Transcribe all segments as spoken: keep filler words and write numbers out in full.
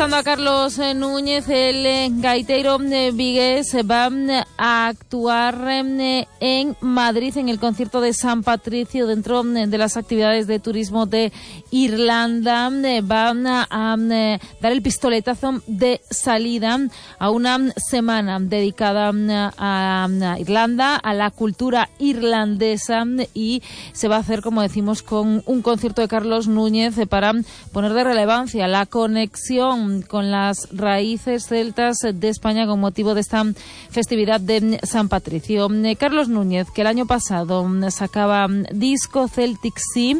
Escoitando a Carlos Núñez, el eh, gaiteiro eh, vigués va eh, a actuar eh, en Madrid en el concierto de San Patricio dentro eh, de las actividades de turismo de Irlanda. Eh, van a, a eh, dar el pistoletazo de salida a una semana dedicada eh, a, a Irlanda, a la cultura irlandesa, y se va a hacer, como decimos, con un concierto de Carlos Núñez eh, para poner de relevancia la conexión con las raíces celtas de España con motivo de esta festividad de San Patricio. Carlos Núñez, que el año pasado sacaba disco Celtic Sea,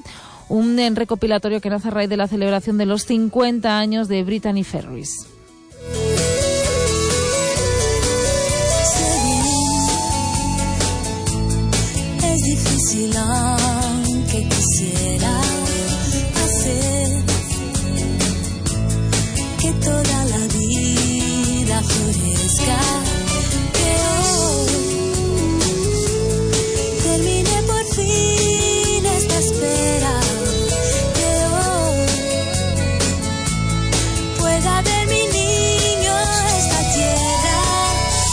un recopilatorio que nace a raíz de la celebración de los cincuenta años de Brittany Ferries. Es difícil aunque quisiera hacer que toda la vida florezca, que hoy termine por fin esta espera, que hoy pueda ver mi niño esta tierra.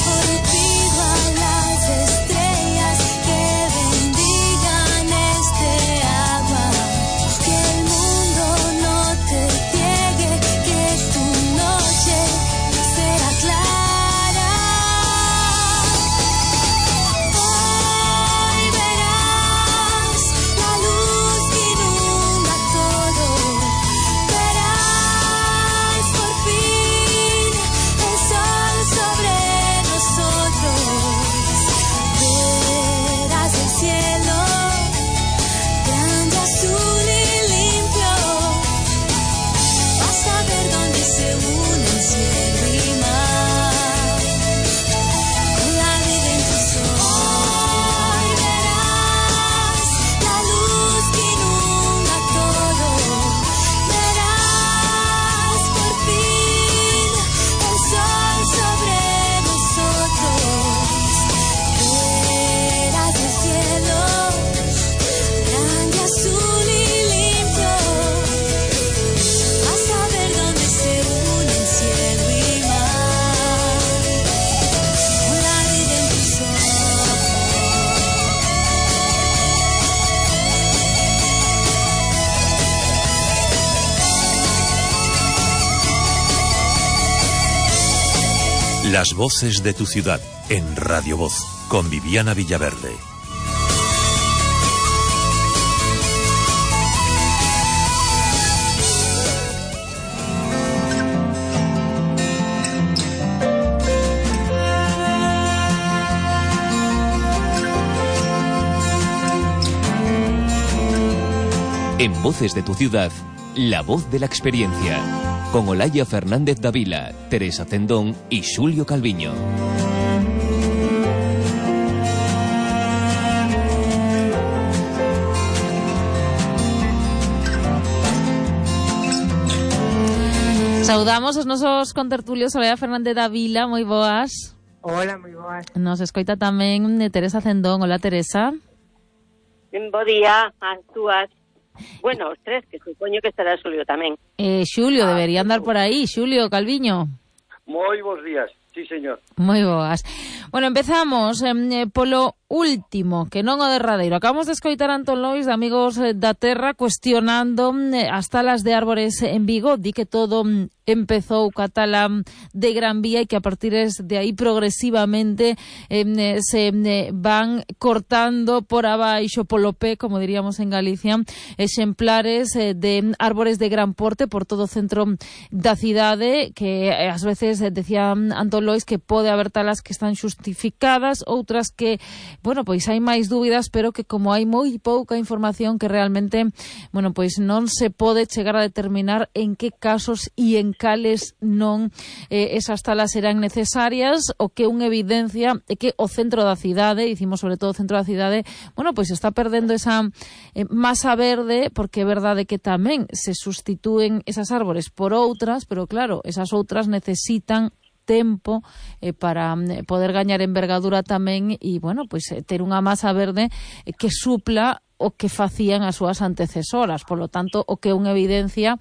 Hoy pido a las estrellas que bendigan este agua, que el mundo no te ciegue, que tu noche será clara. Hoy verás la luz que inunda todo, verás por fin el sol sobre nosotros, verás el cielo grande, azul y limpio. Vas a ver dónde se unen cielo y mar, con la vida en tus ojos. Hoy verás la luz que inunda todo, verás por fin el sol sobre nosotros, verás el cielo grande, azul y limpio. Vas a ver dónde se unen cielo y mar, con la vida en tus ojos. Las voces de tu ciudad en Radio Voz con Viviana Villaverde. En Voces de tu Ciudad, la voz de la experiencia. Con Olaya Fernández Davila, Teresa Cendón y Xulio Calviño. Saudamos os nosos contertulios Olaya Fernández Davila, moi boas. Hola, moi boas. Nos escoita tamén de Teresa Cendón. Hola, Teresa. Bo día ás túas. Bueno, os tres, que supoño que estará Xulio tamén. Eh, Xulio, ah, debería andar por aí. Xulio Calviño. Moi bons días, sí, señor. Moi boas. Bueno, empezamos eh, polo último, que non o derradeiro. Acabamos de escoitar a Antón Lois, de Amigos da Terra, cuestionando eh, as talas de árbores en Vigo. Di que todo mm, empezou ca tala de Gran Vía e que a partir de aí progresivamente eh, se eh, van cortando por abaixo, polo pé, como diríamos en Galicia, exemplares eh, de árbores de gran porte por todo o centro da cidade, que eh, ás veces eh, decía Antón Lois que pode haber talas que están xustificadas, outras que, bueno, pois hai máis dúbidas, pero que como hai moi pouca información, que realmente, bueno, pois non se pode chegar a determinar en que casos e en cales non eh, esas talas serán necesarias. O que unha evidencia é que o centro da cidade, dicimos sobre todo o centro da cidade, bueno, pois está perdendo esa eh, masa verde, porque é verdade que tamén se sustitúen esas árbores por outras, pero claro, esas outras necesitan tempo eh, para eh, poder gañar envergadura tamén e, bueno, pois eh, ter unha masa verde eh, que supla o que facían as súas antecesoras. Por lo tanto, o que é unha evidencia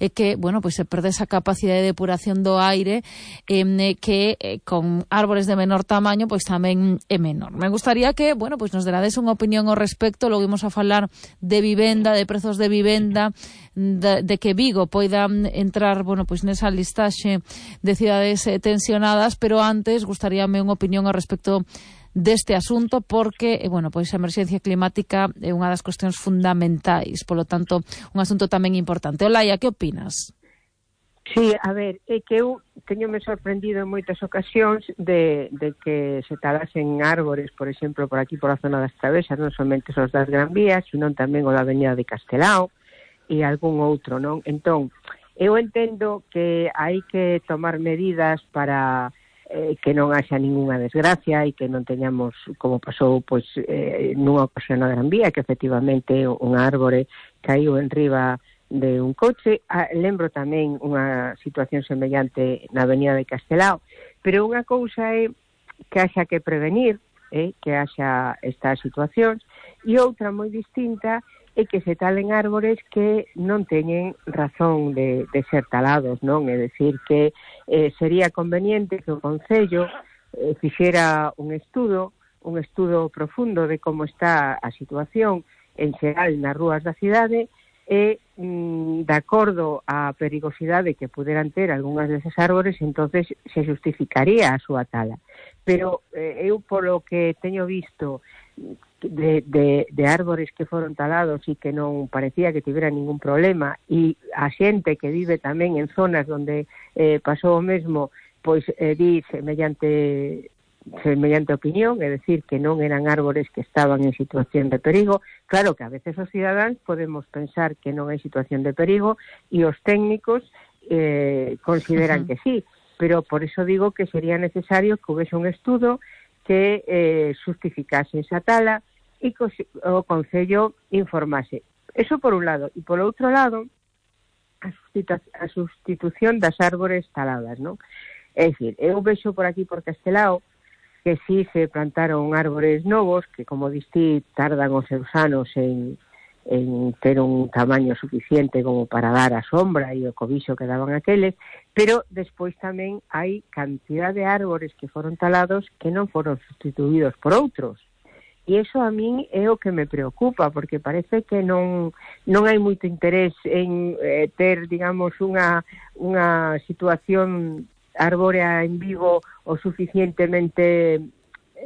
é que, bueno, pois se perde esa capacidade de depuración do aire eh, que eh, con árbores de menor tamaño pois tamén é menor. Me gustaría que, bueno, pois nos derades unha opinión ao respecto. Logo imos a falar de vivenda, de prezos de vivenda, de, de que Vigo poida entrar, bueno, pois nesa listaxe de cidades eh, tensionadas, pero antes gustaríame unha opinión ao respecto deste asunto, porque, eh, bueno, pois a emerxencia climática é unha das cuestións fundamentais, polo tanto, un asunto tamén importante. Olaia, que opinas? Sí, a ver, é que eu teñome sorprendido en moitas ocasións de, de que se talasen árbores, por exemplo, por aquí, por a zona das Travesas, non somente os das Gran Vías, sino tamén o da Avenida de Castelao e algún outro, non? Entón, eu entendo que hai que tomar medidas para eh, que non haxa ninguna desgracia e que non teñamos, como pasou pois eh, nunha ocasión na Gran Vía, que efectivamente un árbore caiu en riba de un coche. Ah, lembro tamén unha situación semellante na Avenida de Castelao, pero unha cousa é que haxa que prevenir, eh, que haxa estas situacións, e outra moi distinta é que se talen árbores que non teñen razón de, de ser talados, non? É dicir, que eh, sería conveniente que o Concello eh, fixera un estudo, un estudo profundo de como está a situación en xeral nas rúas da cidade, e mm, de acordo á perigosidade que puderan ter algunhas deses árbores, entonces se justificaría a súa tala. Pero eh, eu, polo que teño visto de, de, de árbores que foron talados e que non parecía que tivera ningún problema, e a xente que vive tamén en zonas onde eh, pasou o mesmo, pois eh, di semellante semellante opinión, é dicir, que non eran árbores que estaban en situación de perigo. Claro que a veces os cidadáns podemos pensar que non hai situación de perigo e os técnicos eh, consideran uh-huh. que sí, pero por eso digo que sería necesario que houvese un estudo que eh, justificase esa tala e que o Concello informase. Eso por un lado. E por outro lado, a, sustitu- a sustitución das árbores taladas, non? É dicir, eu vexo por aquí por Castelao que si se plantaron árbores novos, que como distí tardan os seus anos en, en ter un tamaño suficiente como para dar a sombra e o cobixo que daban aqueles, pero despois tamén hai cantidad de árbores que foron talados que non foron sustituídos por outros. E iso a min é o que me preocupa, porque parece que non non hai moito interés en eh, ter, digamos, unha, unha situación arbórea en Vigo o suficientemente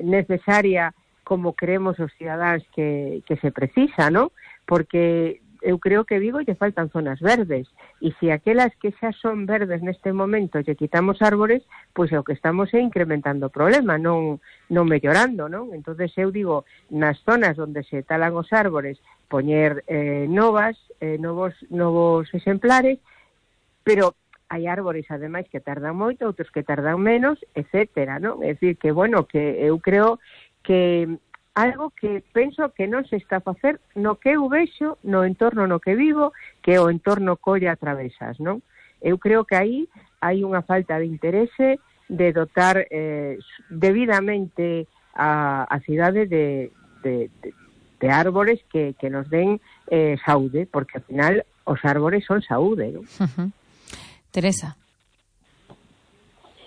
necesaria como creemos os cidadáns que, que se precisa, ¿no? Porque eu creo que Vigo lle faltan zonas verdes, e se aquelas que xa son verdes neste momento lle quitamos árbores, pois é o que estamos é incrementando o problema, non, non mellorando, non? Entonces eu digo, nas zonas onde se talan os árbores, poñer eh, novas, eh, novos, novos exemplares, pero hai árbores, ademais, que tardan moito, outros que tardan menos, etcétera, non? É dicir, que, bueno, que eu creo que algo que penso que non se está a facer no que eu vexo, no entorno no que vivo, que é o entorno Colla Travesas, non? Eu creo que aí hai unha falta de interese de dotar eh, debidamente a, a cidade de, de, de, de árbores que, que nos den eh, saúde, porque, ao final, os árbores son saúde, non? Uh-huh. Teresa.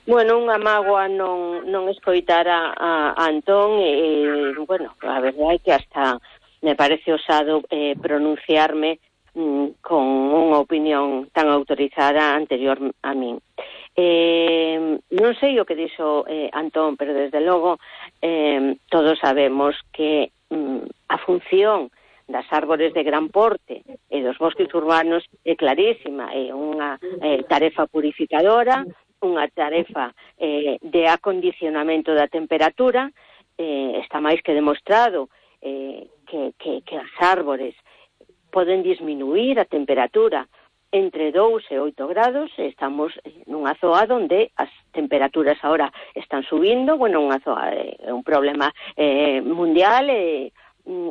Bueno, unha mágoa non, non escoitar a, a, a Antón e, bueno, a verdade é que hasta me parece osado eh, pronunciarme mm, con unha opinión tan autorizada anterior a min. Eh, non sei o que dixo eh, Antón, pero desde logo eh, todos sabemos que mm, a función das árbores de gran porte e dos bosques urbanos é clarísima, é unha eh, tarefa purificadora, unha tarefa eh, de acondicionamento da temperatura, eh, está máis que demostrado eh, que, que, que as árbores poden disminuir a temperatura entre dous e oito grados. Estamos nunha zoa onde as temperaturas ahora están subindo, bueno, unha zoa, é eh, un problema eh, mundial e eh,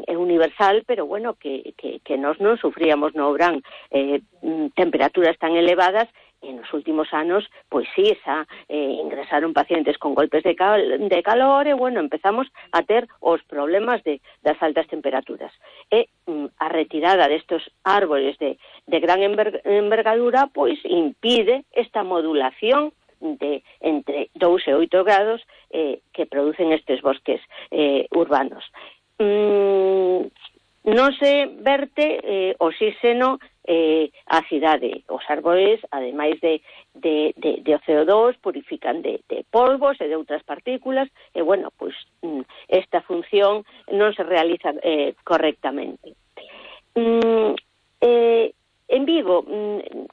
é universal, pero bueno, que, que, que nós non sufríamos no verán eh, temperaturas tan elevadas e nos últimos anos, pois sí, xa eh, ingresaron pacientes con golpes de, cal, de calor e, bueno, empezamos a ter os problemas de, das altas temperaturas. E mm, a retirada destes árbores de, de gran enver, envergadura, pois impide esta modulación de entre dous e oito grados eh, que producen estes bosques eh, urbanos. Mm, non se verte eh, oxígeno eh, a cidade. Os árbores, ademais de, de, de, de C O dos, purifican de, de polvos e de outras partículas, e, bueno, pois mm, esta función non se realiza eh, correctamente. Mm, eh, En Vigo,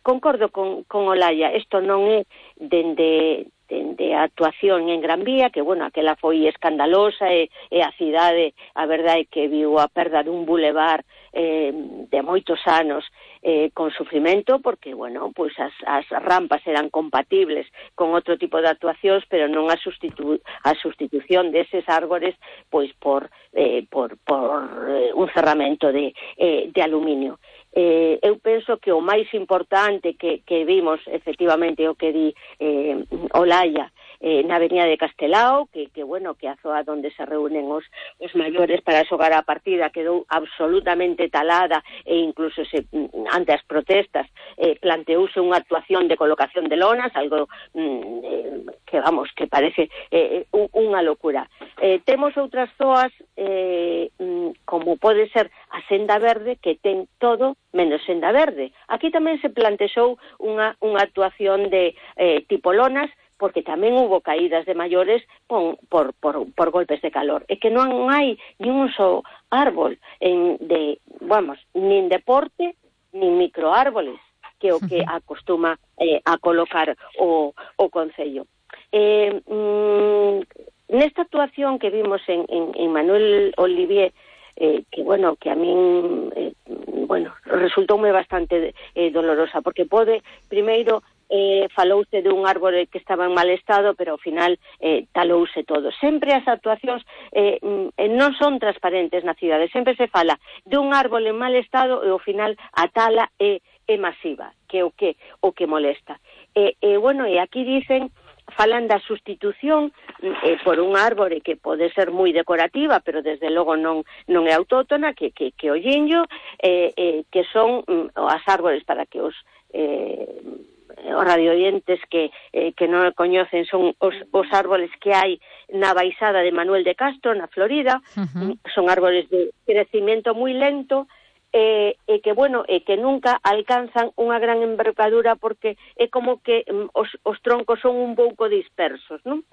concordo con, con Olaya, isto non é dende, dende a actuación en Gran Vía, que, bueno, aquela foi escandalosa e, e a cidade, a verdade é que viu a perda dun bulevar eh, de moitos anos eh, con sufrimento, porque, bueno, pois as, as rampas eran compatibles con outro tipo de actuacións, pero non a, sustitu a sustitución deses árbores pois por, eh, por, por eh, un cerramento de, eh, de aluminio. Eh, eu penso que o máis importante que, que vimos, efectivamente, o que di eh, Olaya, eh, na avenida de Castelao, que, que, bueno, que a zoa onde se reúnen os, os maiores para xogar a partida quedou absolutamente talada, e incluso se, ante as protestas eh, planteouse unha actuación de colocación de lonas, algo mm, eh, que, vamos, que parece eh, unha locura. Eh, temos outras zoas eh, como pode ser a Senda Verde, que ten todo menos Senda Verde. Aquí tamén se plantexou unha, unha actuación de eh, tipo lonas, porque tamén hubo caídas de maiores por, por, por, por golpes de calor. É que non hai ni un só árbol en de, vamos, nin deporte, nin microárboles, que o que acostuma eh, a colocar o, o Concello. Eh, mm, nesta actuación que vimos en, en, en Manuel Olivier, Eh, que, bueno, que a min eh, bueno, resultoume bastante eh, dolorosa, porque pode, primeiro, eh, falouse de un árbore que estaba en mal estado, pero ao final eh, talouse todo. Sempre as actuacións eh, non son transparentes na cidade, sempre se fala de un árbore en mal estado e ao final a tala é, é masiva, que é o que, o que molesta. E, eh, eh, bueno, e aquí dicen, falan da sustitución eh, por un árbore que pode ser moi decorativa, pero desde logo non, non é autóctona, que, que, que o lliño, eh, eh, que son mm, as árbores, para que os eh, os radioyentes que, eh, que non coñecen, son os, os árboles que hai na baixada de Manuel de Castro, na Florida. Uh-huh. Son árboles de crecimiento moi lento, E, e que, bueno, e que nunca alcanzan unha gran envergadura, porque é como que um, os, os troncos son un pouco dispersos, non?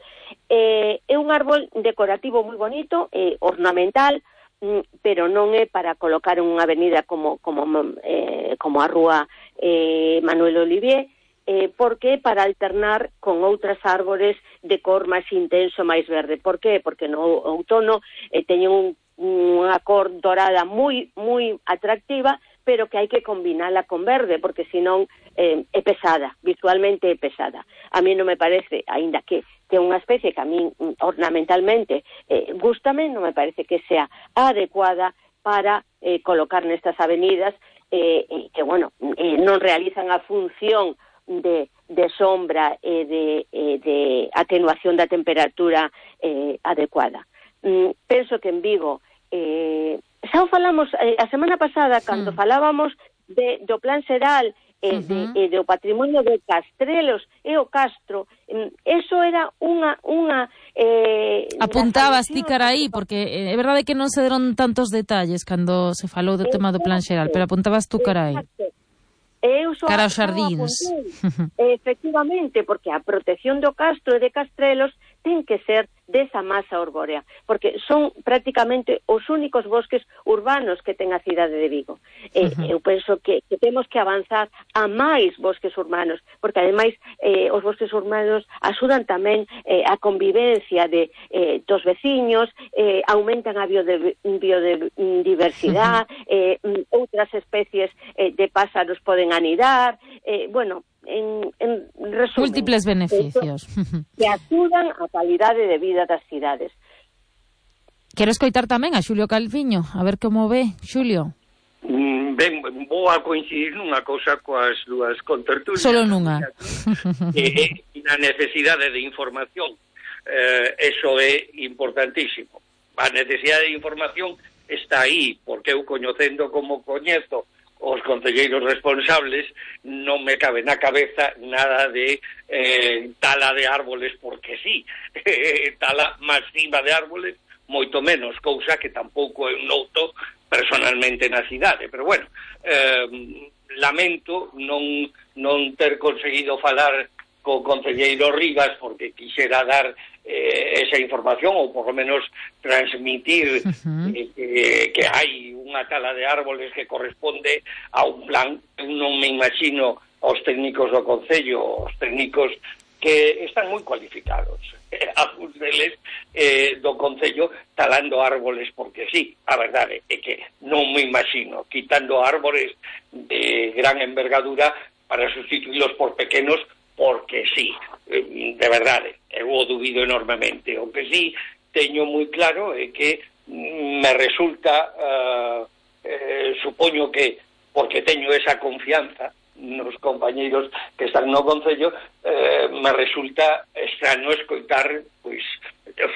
E, é un árbol decorativo moi bonito, eh, ornamental, mm, pero non é para colocar en unha avenida como, como, eh, como a rúa eh, Manuel Olivier, eh, porque é para alternar con outras árbores de cor máis intenso, máis verde. Por qué? Porque no outono eh, teñen un unha cor dorada moi moi atractiva, pero que hai que combinala con verde, porque senón eh, é pesada, visualmente é pesada. A mí non me parece, aínda que que é unha especie que a mí ornamentalmente eh, gústame, non me parece que sea adecuada para eh, colocar nestas avenidas, eh, eh, que, bueno, eh, non realizan a función de, de sombra e de, eh, de atenuación da temperatura eh, adecuada. Mm, penso que en Vigo Eh, xa o falamos eh, a semana pasada, cando sí. falábamos de, do plan xeral e eh, uh-huh. de, eh, do patrimonio de Castrelos e o Castro, eh, eso era unha... unha eh, apuntabas ti cara aí, porque eh, é verdade que non se deron tantos detalles cando se falou do tema do plan xeral, pero apuntabas tú cara aí. Cara aos xardíns. Efectivamente, porque a protección do Castro e de Castrelos ten que ser desa masa arbórea, porque son prácticamente os únicos bosques urbanos que ten a cidade de Vigo. Uh-huh. eh, eu penso que, que temos que avanzar a máis bosques urbanos, porque ademais eh, os bosques urbanos axudan tamén eh, a convivencia de, eh, dos veciños, eh, aumentan a biode, biodiversidade, uh-huh. eh, outras especies eh, de pásaros poden anidar, eh, bueno, en, en resumen, múltiples beneficios que axudan a calidade de vida das cidades. Quero escoitar tamén a Xulio Calviño, a ver como ve, Xulio. Mm, Ben, vou a coincidir nunha cousa coas dúas contertulias. Solo nunha. E, e na necesidade de información. Eh, eso é importantísimo. A necesidade de información está aí, porque eu coñecendo como coñezo os concelleiros responsables, non me cabe na cabeza nada de eh, tala de árboles porque sí. Tala masiva de árboles, moito menos, cousa que tampouco eu noto personalmente na cidade, pero bueno, eh, lamento non, non ter conseguido falar co concelleiro Rivas porque quixera dar eh, esa información ou por lo menos transmitir uh-huh. eh, que, que hai unha tala de árboles que corresponde a un plan. Eu non me imagino aos técnicos do Concello, os técnicos que están moi cualificados, eh, algúns deles eh, do Concello talando árboles porque sí. A verdade é que non me imagino quitando árboles de gran envergadura para sustituílos por pequenos porque sí, eh, de verdade, eu o dubido enormemente. O que sí teño moi claro é que mm, me resulta, uh, eh, supoño que porque teño esa confianza nos compañeiros que están no Concello, eh, me resulta extraño escoitar pois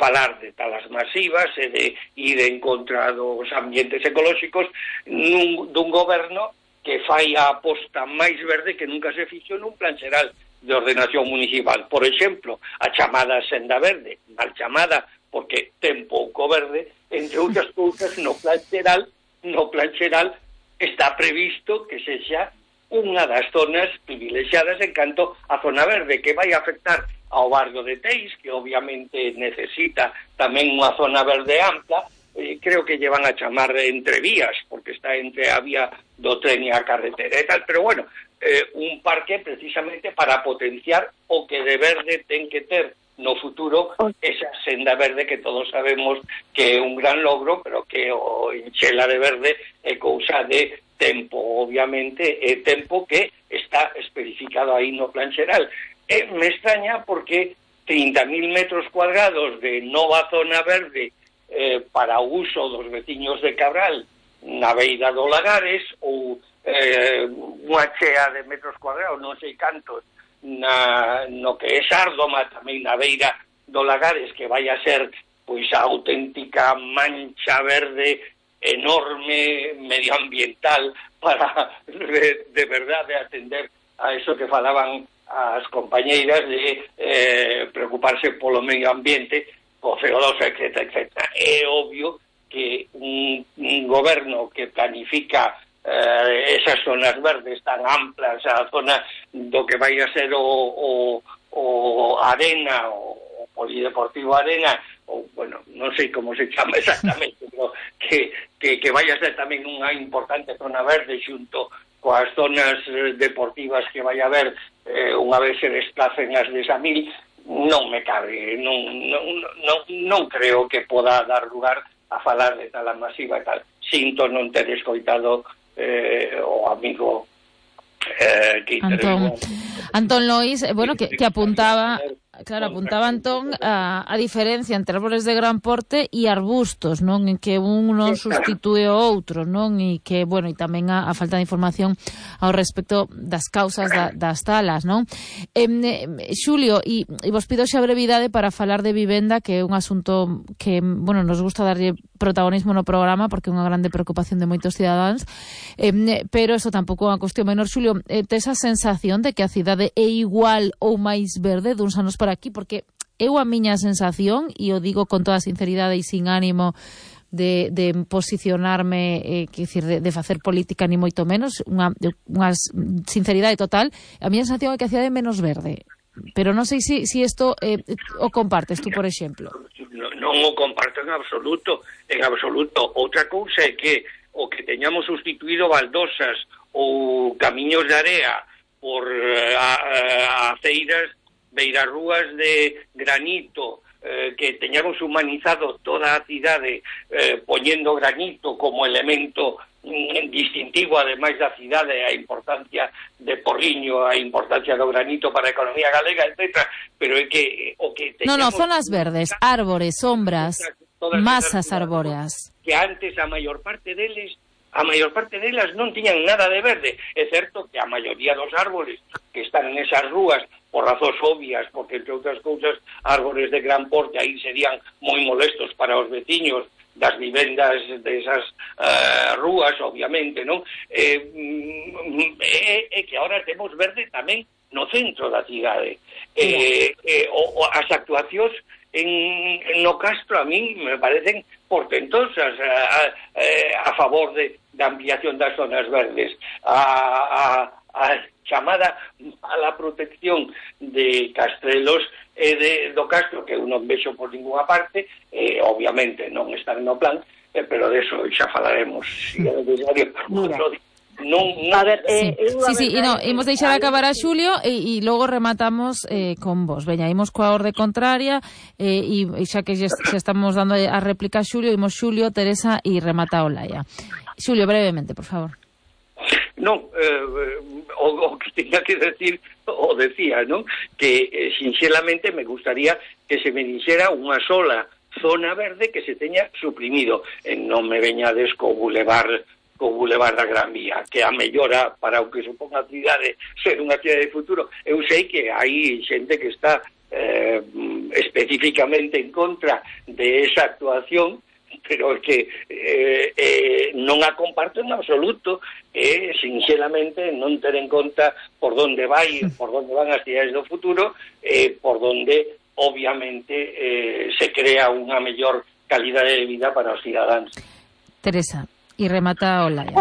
falar de talas masivas e de ir en contra dos ambientes ecolóxicos nun, dun goberno que fai a aposta máis verde que nunca se fixo nun plan xeral de ordenación municipal. Por exemplo, a chamada senda verde, mal chamada porque ten pouco verde, entre outras cousas no plan xeral, no plan xeral está previsto que sexa unha das zonas privilexiadas en canto a zona verde, que vai afectar ao barrio de Teis, que obviamente necesita tamén unha zona verde ampla. Eh, creo que llevan a chamar entre vías, porque está entre a vía do tren e a carretera e tal, pero bueno, eh, un parque precisamente para potenciar o que de verde ten que ter no futuro esa senda verde que todos sabemos que é un gran logro, pero que o enchela de verde é cousa de tempo, obviamente, é tempo que está especificado aí no plan xeral. E me extraña porque trinta mil metros cuadrados de nova zona verde eh, para o uso dos veciños de Cabral na beira do Lagares ou eh, unha chea de metros cuadrados, non sei cantos, na, no que é Sárdoma, tamén na beira do Lagares, que vai a ser pois a auténtica mancha verde enorme medioambiental para de, de verdade atender a eso que falaban as compañeiras de eh, preocuparse polo medio ambiente, o C O dos, etcétera, etcétera. É obvio que un, un goberno que planifica eh, esas zonas verdes tan amplas, a zona do que vai a ser o, o, o Arena, o, o Polideportivo Arena, ou, bueno, non sei como se chama exactamente, pero que, que, que vai a ser tamén unha importante zona verde xunto coas zonas deportivas que vai a haber eh, unha vez se desplacen as de Samil, non me cabe, non, non, non, non creo que poda dar lugar a falar de tala masiva e tal. Sinto non ter escoitado eh, o amigo eh, que Antón, Antón Lois, eh, bueno, que, que apuntaba... Claro, apuntaba Antón a, a diferencia entre árboles de gran porte e arbustos, non? En que un non substitúe o outro, non? E que, bueno, e tamén a, a falta de información ao respecto das causas da, das talas, non? Eh, Xulio, e, e vos pido xa brevidade para falar de vivenda, que é un asunto que, bueno, nos gusta darlle protagonismo no programa porque é unha grande preocupación de moitos cidadáns, eh, pero eso tampouco é unha cuestión menor. Xulio, eh, tes a sensación de que a cidade é igual ou máis verde duns anos por aquí, porque eu a miña sensación, e o digo con toda a sinceridade e sin ánimo de, de posicionarme, eh, que decir, de, de facer política ni moito menos, unha, unha sinceridade total, a miña sensación é que a cidade é menos verde. Pero non sei se si, si isto eh, o compartes tú, por exemplo. Non, non o comparto en absoluto, en absoluto. Outra cousa é que o que teñamos sustituído baldosas ou camiños de area por uh, a, a, aceiras, beirarrúas de granito, eh, que teñamos humanizado toda a cidade eh, poñendo granito como elemento mm, distintivo, ademais da cidade, a importancia de Porriño, a importancia do granito para a economía galega, etcétera. Pero é que o que teñamos... No, no, zonas verdes, árbores, sombras, todas masas arbóreas. Que antes a maior parte deles a maior parte delas non tiñan nada de verde. É certo que a maioría dos árboles que están nesas rúas, por razóns obvias, porque entre outras cousas, árboles de gran porte aí serían moi molestos para os veciños das vivendas desas uh, rúas, obviamente, non? É eh, eh, eh, que ahora temos verde tamén no centro da cidade. Eh, eh, o, o, as actuacións en, en no Castro a min me parecen portentosas a, a, a favor de, da ampliación das zonas verdes. A, a, a chamada a la protección de Castrelos e de, do Castro, que eu non vexo por ninguna parte, eh, obviamente non están no plan, eh, pero de eso xa falaremos, se é necesario. Non, non, a ver, eh, sí, sí, sí, e no, imos deixar acabar a Xulio e, e logo rematamos eh, con vos. Veña, imos coa orde contraria eh, e, e xa que xa, xa estamos dando a réplica a Xulio, imos Xulio, Teresa e remata Olaya. Xulio, brevemente, por favor. Non, eh, o, o que tenía que decir o decía, non? Que eh, sinceramente me gustaría que se me dixera unha sola zona verde que se teña suprimido. E non me veñades co bulevar co bulevar da Gran Vía, que a mellora para o que supón a cidade ser unha cidade de futuro. Eu sei que hai xente que está eh, especificamente en contra de esa actuación, pero que eh, eh, non a comparto en absoluto, e eh, sinceramente non ter en conta por donde vai, por donde van as cidades do futuro, eh, por donde obviamente eh, se crea unha mellor calidade de vida para os cidadáns. Teresa, e remata Olaya.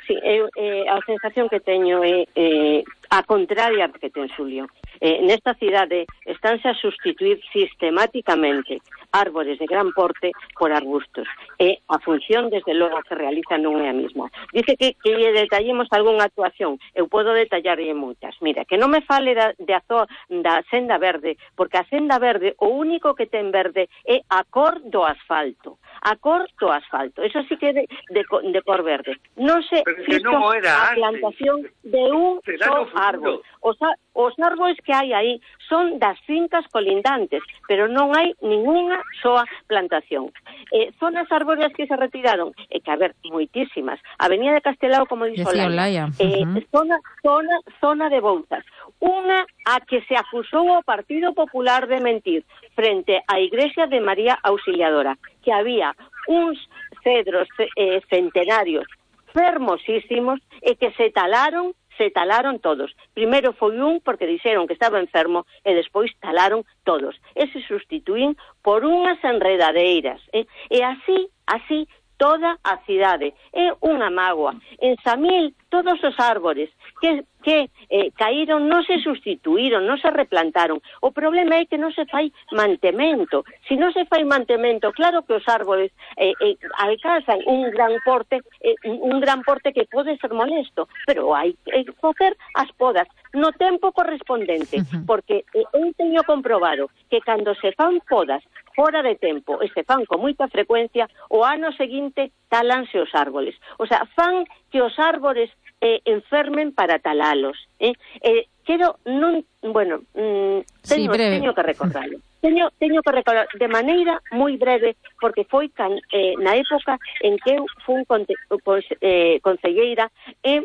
Sí, eu, eh, a sensación que teño é eh, a contraria que ten Xulio. Eh, nesta cidade estánse a sustituir sistemáticamente árbores de gran porte por arbustos. E a función, desde logo, que realiza non é a mesma. Dice que, que lle detallemos algunha actuación. Eu podo detallarlle moitas. Mira, que non me fale da, de azo, da senda verde, porque a senda verde, o único que ten verde é a cor do asfalto. A cor do asfalto. Eso sí que é de, de, de cor verde. Non se fixo a plantación de un só árbol. Os, os árboles que hai aí son das fincas colindantes, pero non hai ninguna soa plantación. Eh, zonas arbóreas que se retiraron, e eh, que, a ver, moitísimas. Avenida de Castelao, como dixo Olaya. Eh, uh -huh. zona, zona, zona de Bouzas. Unha a que se acusou o Partido Popular de mentir frente á Igrexa de María Auxiliadora, que había uns cedros eh, centenarios fermosísimos e que se talaron se talaron todos. Primeiro foi un porque dixeron que estaba enfermo e despois talaron todos. E se sustituín por unhas enredadeiras. Eh? E así, así, toda a cidade. É unha mágoa. En Samil, todos os árbores que, que eh, caíron non se sustituíron, non se replantaron. O problema é que non se fai mantemento. Se non se fai mantemento, claro que os árboles eh, eh, alcanzan un gran porte, eh, un gran porte que pode ser molesto, pero hai que eh, facer as podas no tempo correspondente, uh-huh. porque eh, eu teño comprobado que cando se fan podas fora de tempo e se fan con moita frecuencia, o ano seguinte talanse os árboles. O sea, fan que os árbores eh, enfermen para talalos. Eh? Eh, quero non, bueno, mm, teño, sí, teño que recordarlo. Teño, teño que recordar de maneira moi breve, porque foi can, eh, na época en que eu fui conte, pues, eh, concelleira e eh,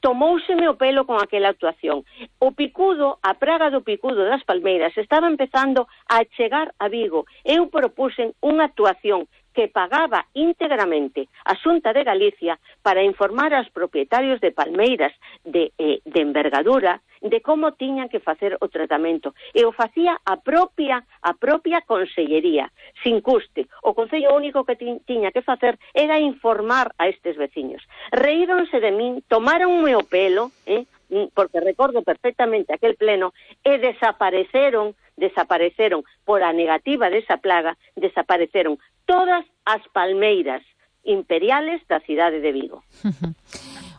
tomouseme o pelo con aquela actuación. O picudo, a praga do picudo das palmeiras estaba empezando a chegar a Vigo. Eu propuxen unha actuación que pagaba íntegramente a Xunta de Galicia para informar aos propietarios de palmeiras de, eh, de envergadura de como tiñan que facer o tratamento. E o facía a propia a propia consellería, sin custe. O Concello único que ti, tiña que facer era informar a estes veciños. Reíronse de min, tomaronme o pelo, eh, porque recordo perfectamente aquel pleno, e desapareceron, desapareceron por a negativa desa plaga, desapareceron todas as palmeiras imperiales da cidade de Vigo.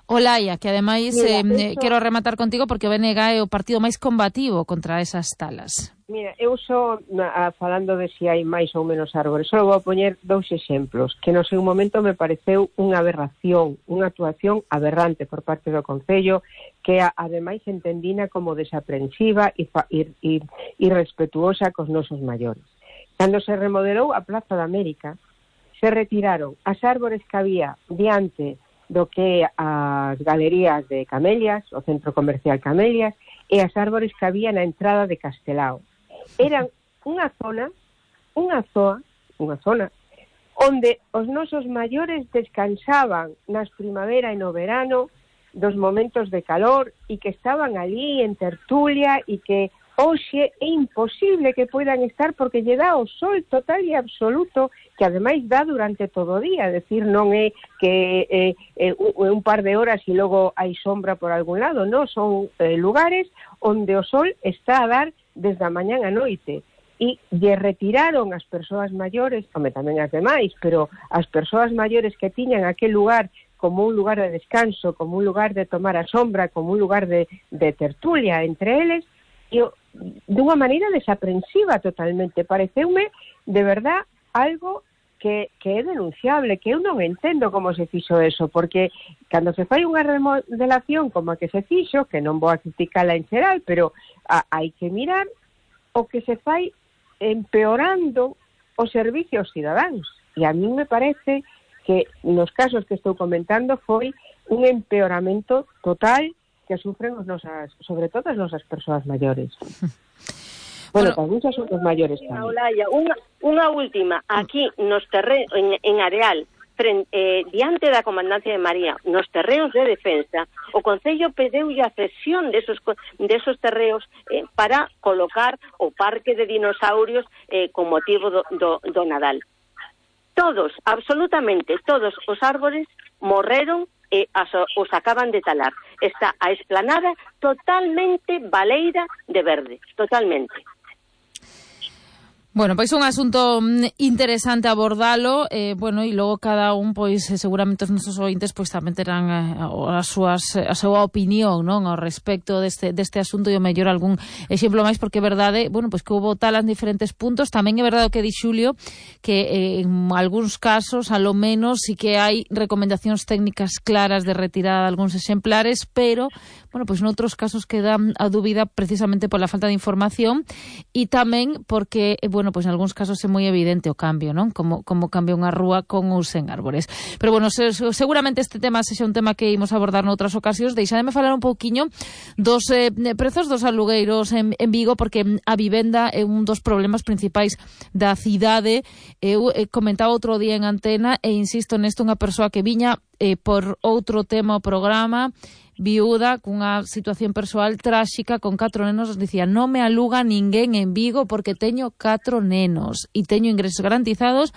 Olaya, que ademais Mira, eh, eso... quero rematar contigo porque o B N G é o partido máis combativo contra esas talas. Mira, eu só na, falando de se si hai máis ou menos árbores, só vou poñer dous exemplos que no seu momento me pareceu unha aberración, unha actuación aberrante por parte do Concello, que a, ademais entendina como desaprensiva e, e, e, e respetuosa cos nosos maiores. Cando se remodelou a Plaza da América, se retiraron as árbores que había diante do que as galerías de Camelias, o centro comercial Camelias, e as árbores que había na entrada de Castelao. Eran unha zona, unha zoa, unha zona, onde os nosos maiores descansaban nas primavera e no verano dos momentos de calor e que estaban ali en tertulia e que hoxe é imposible que poidan estar porque lle dá o sol total e absoluto que ademais dá durante todo o día, é dicir, non é que eh, eh, un par de horas e logo hai sombra por algún lado, non, son eh, lugares onde o sol está a dar desde a mañán a noite e lle retiraron as persoas maiores, home, tamén as demais, pero as persoas maiores que tiñan aquel lugar como un lugar de descanso, como un lugar de tomar a sombra, como un lugar de, de tertulia entre eles, e dunha maneira desaprensiva totalmente. Pareceume, de verdad, algo que, que é denunciable, que eu non entendo como se fixo eso, porque cando se fai unha remodelación como a que se fixo, que non vou a criticala en xeral, pero a, hai que mirar o que se fai empeorando os servicios cidadáns. E a mí me parece que nos casos que estou comentando foi un empeoramento total que sufren os nosas, sobre todo as nosas persoas maiores. Bueno, tamén son os maiores tamén. Olaya, unha, unha última, aquí nos terrenos, en, en Areal, frente, eh, diante da Comandancia de María, nos terreos de defensa, o Concello pedeulle a cesión desos, desos terreos eh, para colocar o parque de dinosaurios eh, con motivo do, do, do Nadal. Todos, absolutamente todos os árbores morreron e as, os acaban de talar. Está a explanada totalmente baleira de verde, totalmente. Bueno, pois un asunto interesante abordalo, eh, bueno, e logo cada un, pois, seguramente os nosos ointes, pois, tamén terán eh, as súas, a súa opinión, non, ao respecto deste, deste asunto e o mellor algún exemplo máis, porque é verdade, bueno, pois que houve talas en diferentes puntos, tamén é verdade o que di Xulio, que eh, en algúns casos, a lo menos, sí que hai recomendacións técnicas claras de retirada de algúns exemplares, pero, bueno, pois noutros casos queda a dúbida precisamente pola falta de información e tamén porque, eh, bueno, Bueno, pois en algúns casos é moi evidente o cambio, non? Como, como cambia unha rúa con ou sen árbores. Pero bueno, se, seguramente este tema sexa un tema que imos abordar noutras ocasións. Deixademe falar un pouquiño dos eh, prezos dos alugueiros en, en Vigo, porque a vivenda é un dos problemas principais da cidade. Eu eh, comentaba outro día en antena e insisto nesto, unha persoa que viña eh, por outro tema o programa, viúda, cunha situación persoal tráxica, con catro nenos, dicía, non me aluga ninguén en Vigo porque teño catro nenos e teño ingresos garantizados,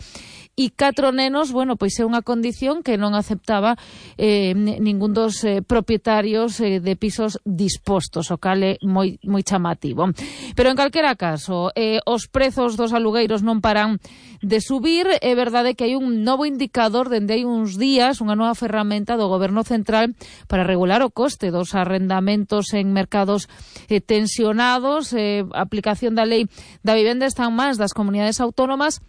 e catro nenos, bueno, pois é unha condición que non aceptaba eh, ningún dos eh, propietarios eh, de pisos dispostos, o cal é moi, moi chamativo. Pero en calquera caso, eh, os prezos dos alugueiros non paran de subir. É verdade que hai un novo indicador dende hai uns días, unha nova ferramenta do Goberno Central para regular o coste dos arrendamentos en mercados eh, tensionados. Eh, a aplicación da lei da vivenda está en mans das comunidades autónomas.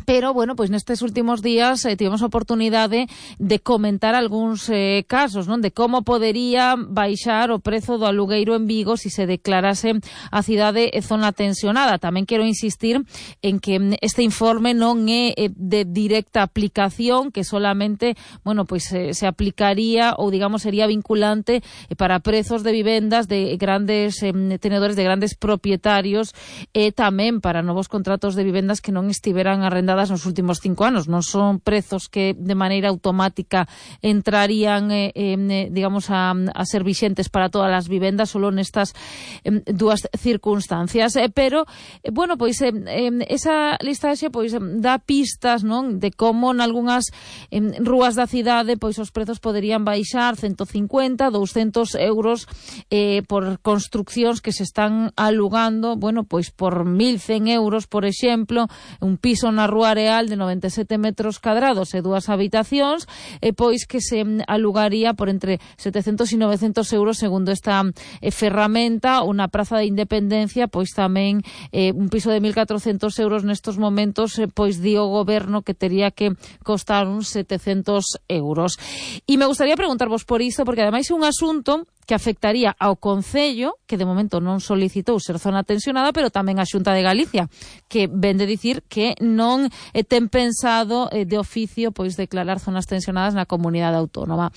Pero, bueno, pois nestes últimos días eh, tivemos a oportunidade de comentar algúns eh, casos, non? De como podería baixar o prezo do alugueiro en Vigo se se declarase a cidade e zona tensionada. Tamén quero insistir en que este informe non é eh, de directa aplicación, que solamente, bueno, pois eh, se aplicaría ou, digamos, sería vinculante eh, para prezos de vivendas de grandes eh, tenedores, de grandes propietarios, e tamén para novos contratos de vivendas que non estiveran arrendados nos últimos cinco anos. Non son prezos que de maneira automática entrarían eh, eh, digamos a, a ser vixentes para todas as vivendas, solo nestas eh, dúas circunstancias, eh, pero eh, bueno, pois eh, eh, esa listaxe pois dá pistas, non, de como nalgúnas eh, rúas da cidade pois os prezos poderían baixar ciento cincuenta, douscentos euros eh, por construccións que se están alugando, bueno, pois por mil cen euros, por exemplo, un piso na rúa Areal de noventa e sete metros cadrados e dúas habitacións, e pois que se alugaría por entre setecentos e novecentos euros segundo esta eh, ferramenta. Unha praza de Independencia, pois tamén eh, un piso de mil catrocentos euros nestos momentos, eh, pois di o goberno que tería que costar uns setecentos euros. E me gustaría preguntarvos por isto, porque ademais é un asunto que afectaría ao Concello, que de momento non solicitou ser zona tensionada, pero tamén a Xunta de Galicia, que ven de dicir que non eh, ten pensado eh, de oficio pois declarar zonas tensionadas na comunidade autónoma.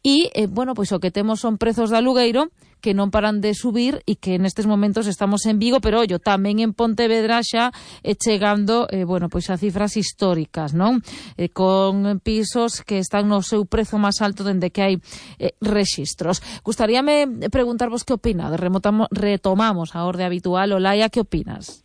E, eh, bueno, pois o que temos son prezos de alugueiro que non paran de subir e que nestes momentos estamos en Vigo, pero ollo, tamén en Pontevedra xa eh, chegando, eh, bueno, pois a cifras históricas, non? Eh, con pisos que están no seu prezo máis alto dende que hai eh, rexistros. Gustaríame preguntarvos que opinades. Remotamos, retomamos a orde habitual. Olaia, que opinas?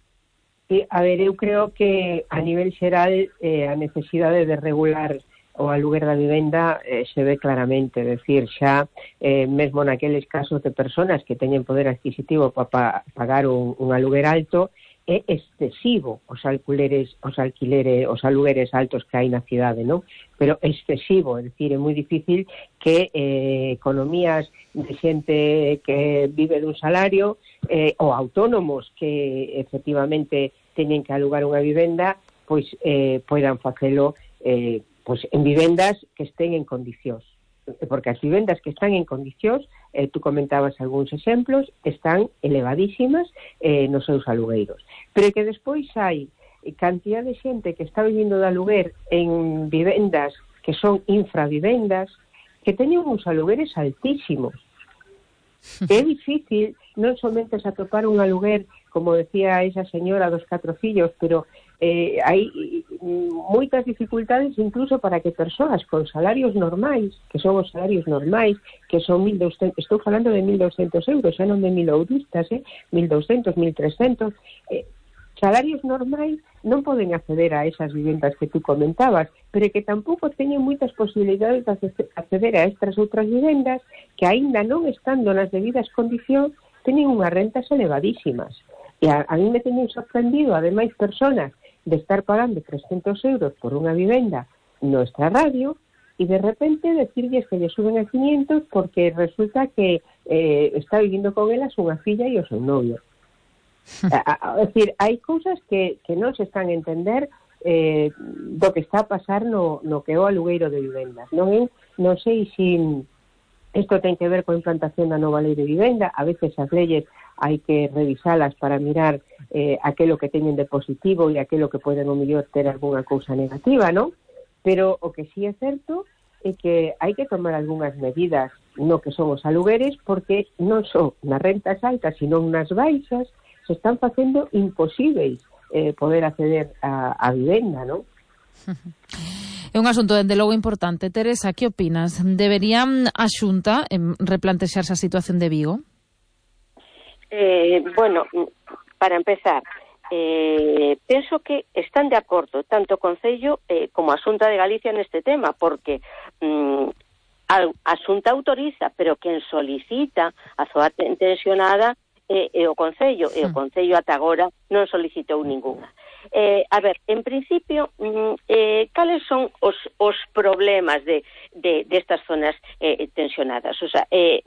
Sí, a ver, eu creo que a nivel xeral eh, a necesidade de regular o aluguer da vivenda eh, se ve claramente, é dicir, xa eh, mesmo naqueles casos de personas que teñen poder adquisitivo para pa, pagar un, un aluguer alto, é excesivo os alquileres, os alquileres, os alugueres altos que hai na cidade, non? Pero excesivo, é dicir, é moi difícil que eh, economías de xente que vive dun salario eh, ou autónomos que efectivamente teñen que alugar unha vivenda, pois eh, poidan facelo eh, pois en vivendas que estén en condicións, porque as vivendas que están en condicións, eh, tú comentabas algúns exemplos, están elevadísimas eh, nos seus alugueiros, pero que despois hai cantidad de xente que está vivindo de aluguer en vivendas que son infravivendas, que teñen uns alugueres altísimos. É difícil non somente se atopar un aluguer, como decía esa señora dos catro fillos, pero eh, hai moitas dificultades incluso para que persoas con salarios normais, que son os salarios normais, que son mil doscientos, estou falando de mil doscientos euros, xa non de mil euristas, eh, mil doscientos, mil trescentos, eh, salarios normais non poden acceder a esas vivendas que tú comentabas, pero que tampouco teñen moitas posibilidades de acceder a estas outras vivendas que aínda non estando nas debidas condicións teñen unhas rentas elevadísimas. E a, a mí me teñen sorprendido, ademais, personas de estar pagando trescentos euros por unha vivenda no extrarradio e de repente decirles que lle suben a quinientos porque resulta que eh, está vivindo con elas unha filla e o seu novio. É dicir, hai cousas que, que non se están a entender eh, do que está a pasar no, no que é o alugueiro de vivendas. Non, é, non sei se isto ten que ver coa implantación da nova lei de vivenda. A veces as leyes hai que revisalas para mirar eh, aquilo que teñen de positivo e aquilo que poden o mellor ter algunha cousa negativa, non? Pero o que sí é certo é que hai que tomar algunhas medidas no que son os alugueres, porque non só nas rentas altas, sino nas baixas, se están facendo imposíveis eh, poder acceder a, a vivenda, non? É un asunto, dende logo, importante. Teresa, que opinas? Deberían a Xunta eh, replantexarse a situación de Vigo? Eh, bueno, para empezar, eh, penso que están de acordo tanto o Concello eh, como a Xunta de Galicia neste tema, porque mm, a Xunta autoriza, pero quen solicita a zona tensionada é, é o Concello, e o Concello ata agora non solicitou ningunha. Eh, a ver, en principio, mm, eh, cales son os, os problemas de, de, de estas zonas eh, tensionadas? O sea, eh,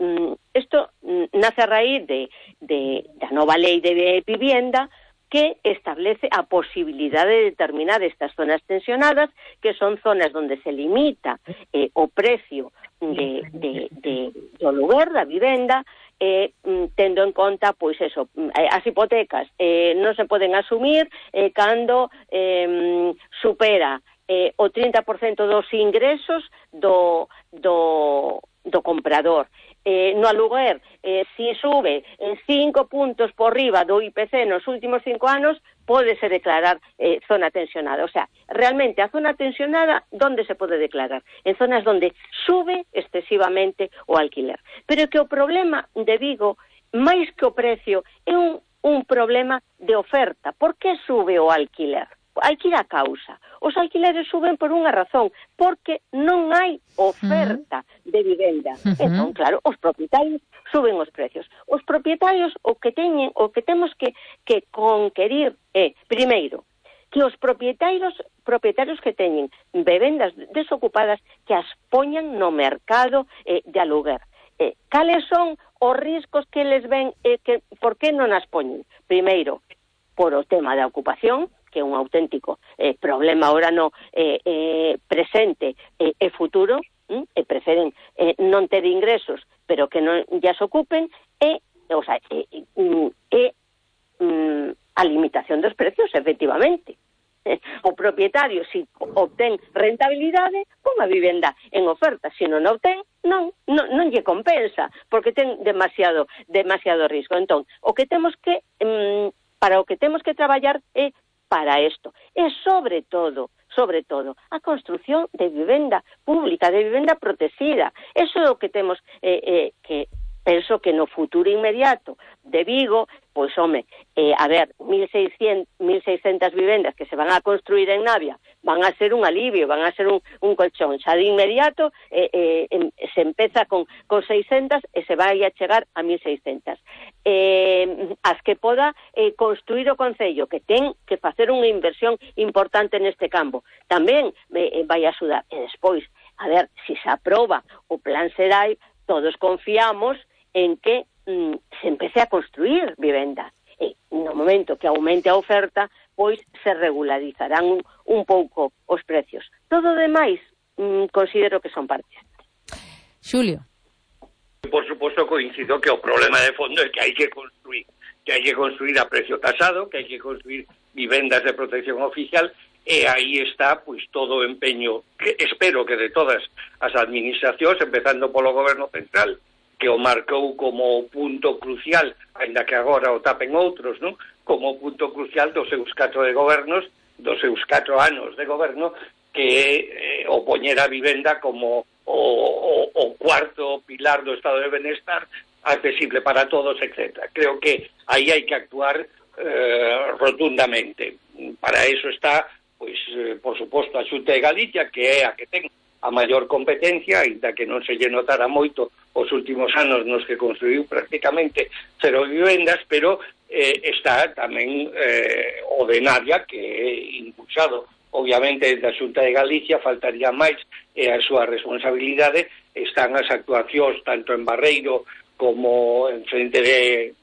isto mm, nace a raíz de, de, da nova lei de vivienda que establece a posibilidade de determinar estas zonas tensionadas, que son zonas donde se limita eh, o precio de, de, de, do lugar da vivenda, eh, tendo en conta, pois eso, as hipotecas eh, non se poden asumir eh, cando eh, supera eh, o trinta por cento dos ingresos do, do, do comprador. Eh, no aluguer, eh, si sube en cinco puntos por riba do I P C nos últimos cinco anos, pódese declarar eh, zona tensionada. O sea, realmente a zona tensionada, ¿dónde se pode declarar? En zonas donde sube excesivamente o alquiler. Pero que o problema de Vigo, máis que o precio, é un, un problema de oferta. Por que sube o alquiler? Hai que ir a causa. Os alquileres suben por unha razón, porque non hai oferta de vivenda. Uh-huh. Entón, claro, os propietarios suben os precios. Os propietarios o que teñen, o que temos que, que conquerir é, primeiro, que os propietarios propietarios que teñen vivendas desocupadas que as poñan no mercado eh, de aluguer. Eh, cales son os riscos que les ven, eh, que, por que non as poñen? Primeiro, por o tema da ocupación, que é un auténtico eh, problema ahora no eh, eh, presente e eh, eh, futuro, hm? e preferen eh, non ter ingresos pero que non llas ocupen, e, o sea, e, e, e a limitación dos precios, efectivamente. O propietario, si obtén rentabilidade, pon a vivenda en oferta, se non obtén, non, non, non lle compensa, porque ten demasiado demasiado risco. Entón, o que temos que, mm, para o que temos que traballar é para isto. E sobre todo, sobre todo, a construción de vivenda pública, de vivenda protegida. Eso é o que temos eh, eh, que penso que no futuro inmediato de Vigo, pois, home, eh, a ver, mil seiscentas vivendas que se van a construir en Navia van a ser un alivio, van a ser un, un colchón. Xa de inmediato eh, eh, se empeza con, con seiscentas e se vai a chegar a mil seiscentas. Eh, as que poda eh, construir o Concello, que ten que facer unha inversión importante neste campo, tamén eh, vai a axudar. E despois, a ver, se se aproba o Plan Xerai, todos confiamos en que mm, se empece a construir vivenda. E no momento que aumente a oferta, pois se regularizarán un, un pouco os precios. Todo o demais mm, considero que son parches. Xulio. Por suposto, coincido que o problema de fondo é que hai que construir, que hai que construir a precio tasado, que hai que construir vivendas de protección oficial, e aí está, pois, todo o empeño, que espero que de todas as administracións, empezando polo Goberno Central, que o marcou como punto crucial, ainda que agora o tapen outros, non? Como punto crucial dos seus catro de gobernos, dos seus catro anos de goberno, que eh, o poñer a vivenda como o, o, o cuarto pilar do estado de benestar, accesible para todos, etcétera. Creo que aí hai que actuar eh, rotundamente. Para eso está, pois, eh, por suposto, a Xunta de Galicia, que é a que ten a maior competencia, ainda que non se lle notara moito os últimos anos nos que construiu prácticamente cero vivendas, pero eh, está tamén eh, o de Navia, que é impulsado, obviamente, da Xunta de Galicia, faltaría máis, e a súa responsabilidade están as actuacións tanto en Barreiro como en frente de,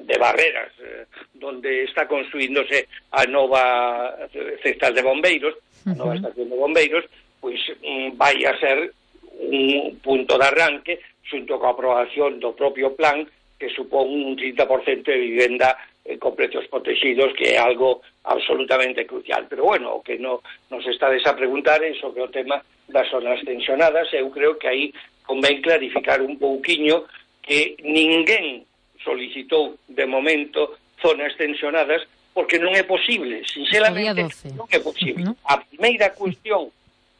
de Barreras, eh, donde está construíndose a nova central de bombeiros, a nova estación de bombeiros, pois mm, vai a ser un punto de arranque xunto coa aprobación do propio plan, que supón un trinta por cento de vivenda eh, con precios protegidos, que é algo absolutamente crucial. Pero, bueno, o que no, nos estades a preguntar é sobre o tema das zonas tensionadas. Eu creo que aí convén clarificar un pouquiño que ninguén solicitou de momento zonas tensionadas, porque non é posible, sinceramente non é posible. Uh-huh. A primeira cuestión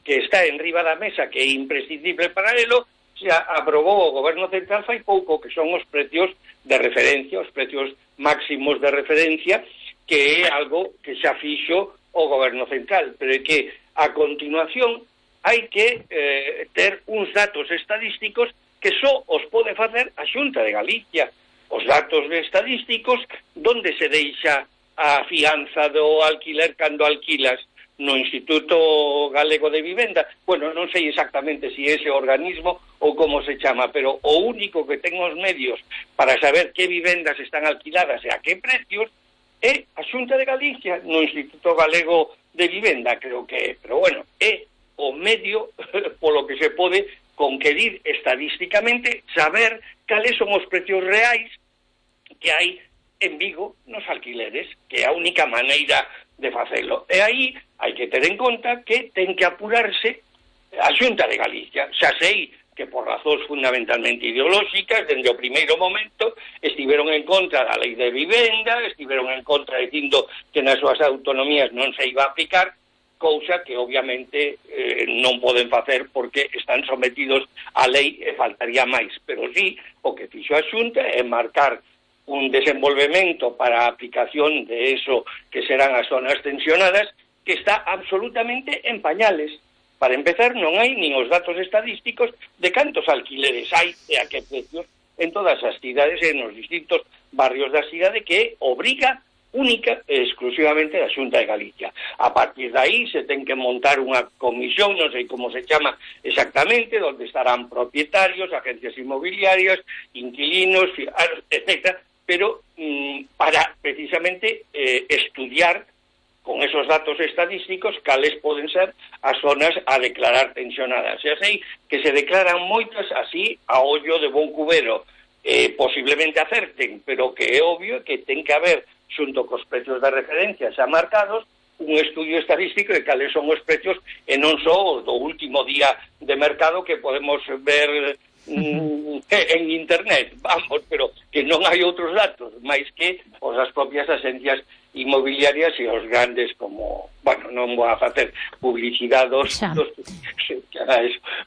que está en riba da mesa, que é imprescindible para elo, se aprobou o Goberno Central fai pouco, que son os precios de referencia, os precios máximos de referencia, que é algo que xa fixo o Goberno Central, pero é que a continuación hai que eh, ter uns datos estadísticos que só os pode facer a Xunta de Galicia. Os datos estadísticos donde se deixa a fianza do alquiler cando alquilas no Instituto Galego de Vivenda. Bueno, non sei exactamente se si ese organismo ou como se chama, pero o único que ten os medios para saber que vivendas están alquiladas e a que precios é a Xunta de Galicia no Instituto Galego de Vivenda, creo que é. Pero bueno, é o medio polo que se pode conquerir estadísticamente saber cales son os precios reais que hai en Vigo nos alquileres, que é a única maneira de facelo. E aí hai que ter en conta que ten que apurarse a Xunta de Galicia. Xa sei que por razóns fundamentalmente ideolóxicas, dende o primeiro momento, estiveron en contra da lei de vivenda, estiveron en contra dicindo que nas súas autonomías non se iba a aplicar, cousa que obviamente eh, non poden facer porque están sometidos á lei e faltaría máis. Pero sí, o que fixo a Xunta é marcar un desenvolvemento para a aplicación de eso que serán as zonas tensionadas, que está absolutamente en pañales. Para empezar, non hai nin os datos estadísticos de cantos alquileres hai e a que precios en todas as cidades e nos distintos barrios da cidade, que obriga única e exclusivamente da Xunta de Galicia. A partir de aí se ten que montar unha comisión, non sei como se chama exactamente, onde estarán propietarios, agencias inmobiliarias, inquilinos, etcétera, pero mm, para precisamente eh, estudiar con esos datos estadísticos, cales poden ser as zonas a declarar tensionadas. E así que se declaran moitas así a ollo de bon cubero. Eh, posiblemente acerten, pero que é obvio que ten que haber, xunto cos precios de referencia xa marcados, un estudio estadístico de cales son os precios e non só do último día de mercado que podemos ver mm, en internet, vamos, pero que non hai outros datos, máis que os as propias agencias inmobiliarias e os grandes como, bueno, non vou a facer publicidade dos, dos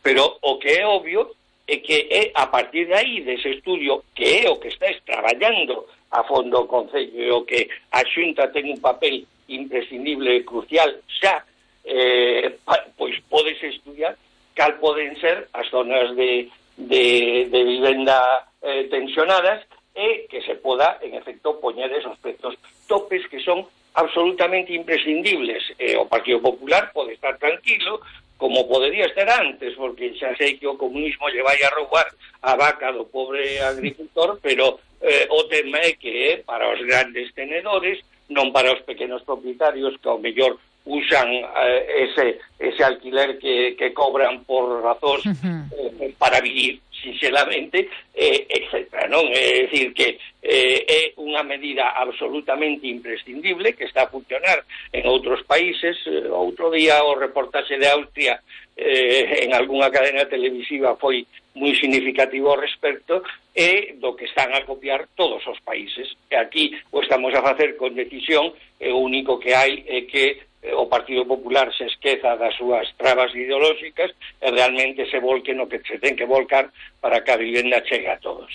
pero o que é obvio é que é a partir de aí, dese estudio, que é o que está traballando a fondo o Concello e o que a Xunta ten un papel imprescindible e crucial xa, eh, pois podes estudiar cal poden ser as zonas de de, de vivenda eh, tensionadas e que se poda, en efecto, poñer esos precios topes que son absolutamente imprescindibles. Eh, o Partido Popular pode estar tranquilo, como podería estar antes, porque xa sei que o comunismo lle vai a roubar a vaca do pobre agricultor, pero eh, o tema é que é para os grandes tenedores, non para os pequenos propietarios que ao mellor usan eh, ese ese alquiler que, que cobran por razóns uh-huh. eh, para vivir, sinceramente, eh, etcétera, non? É dicir que eh, é unha medida absolutamente imprescindible que está a funcionar en outros países. Eh, outro día o reportaxe de Austria eh, en algunha cadena televisiva foi moi significativo ao respecto e do que están a copiar todos os países. E aquí o estamos a facer con decisión e o único que hai é que o Partido Popular se esqueza das súas trabas ideolóxicas e realmente se volque no que se ten que volcar para que a vivenda chegue a todos.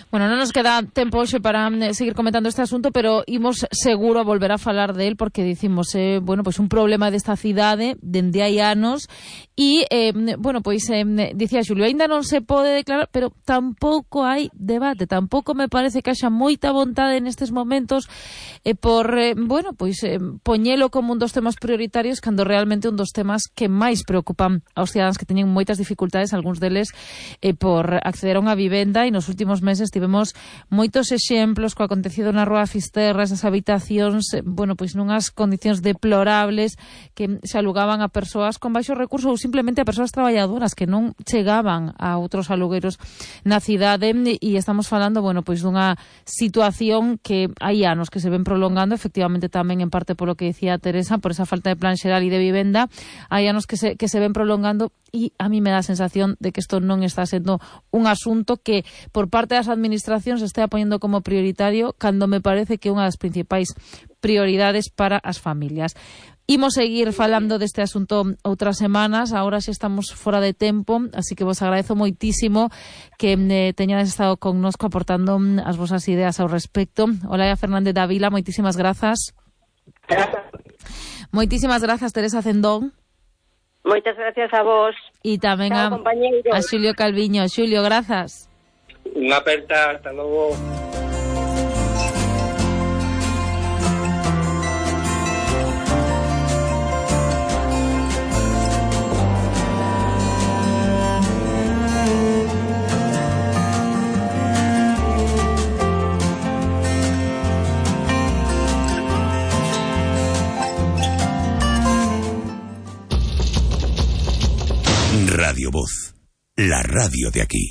Bueno, non nos queda tempo hoxe para seguir comentando este asunto, pero imos seguro a volver a falar del porque dicimos, eh, bueno, pois pues un problema desta cidade dende hai anos e, eh, bueno, pois pues, eh, dicía Xulio, ainda non se pode declarar, pero tampouco hai debate, tampouco me parece que haxa moita vontade nestes momentos eh, por, eh, bueno, pois pues, eh, poñelo como un dos temas prioritarios cando realmente un dos temas que máis preocupan aos cidadáns que teñen moitas dificultades, algúns deles eh, por acceder a unha vivenda, e nos últimos meses tivemos moitos exemplos co acontecido na Rúa Fisterra, esas habitacións, bueno, pois nunhas condicións deplorables que se alugaban a persoas con baixo recurso ou simplemente a persoas traballadoras que non chegaban a outros alugueiros na cidade, e estamos falando, bueno, pois dunha situación que hai anos que se ven prolongando, efectivamente tamén en parte polo que decía Teresa, por esa falta de plan xeral e de vivenda, hai anos que se, que se ven prolongando, e a mí me dá a sensación de que isto non está sendo un asunto que por parte das administracións se estea poñendo como prioritario, cando me parece que é unha das principais prioridades para as familias. Imos seguir falando deste asunto outras semanas, agora xa estamos fora de tempo, así que vos agradezo moitísimo que eh, teñades estado connosco aportando as vosas ideas ao respecto. Olaia Fernández Dávila, moitísimas grazas. Moitísimas grazas, Teresa Cendón. Moitas gracias a vos. E tamén a, a Xulio Calviño. Xulio, grazas. Unha aperta, hasta logo. Radio Voz, la radio de aquí.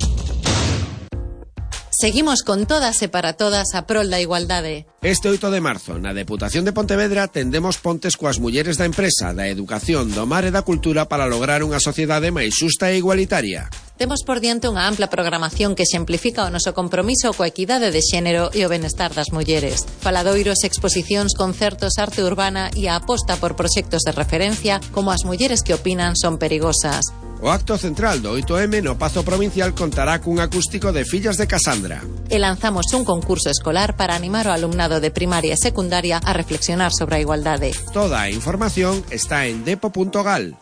Seguimos con todas e para todas a prol da igualdade. Este oito de marzo, na Deputación de Pontevedra, tendemos pontes coas mulleres da empresa, da educación, do mar e da cultura para lograr unha sociedade máis xusta e igualitaria. Temos por diante unha ampla programación que exemplifica o noso compromiso coa equidade de xénero e o benestar das mulleres. Faladoiros, exposicións, concertos, arte urbana e a aposta por proxectos de referencia como as mulleres que opinan son perigosas. O acto central do oito eme no Pazo Provincial contará cun acústico de Fillas de Casandra. E lanzamos un concurso escolar para animar o alumnado de primaria e secundaria a reflexionar sobre a igualdade. Toda a información está en depo punto gal.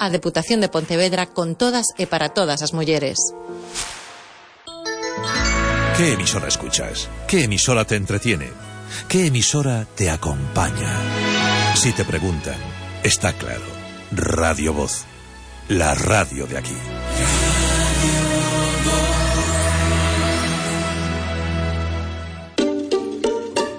A Deputación de Pontevedra con todas e para todas as mulleres. ¿Qué emisora escuchas? ¿Qué emisora te entretiene? ¿Qué emisora te acompaña? Si te preguntan, está claro. Radio Voz, la radio de aquí.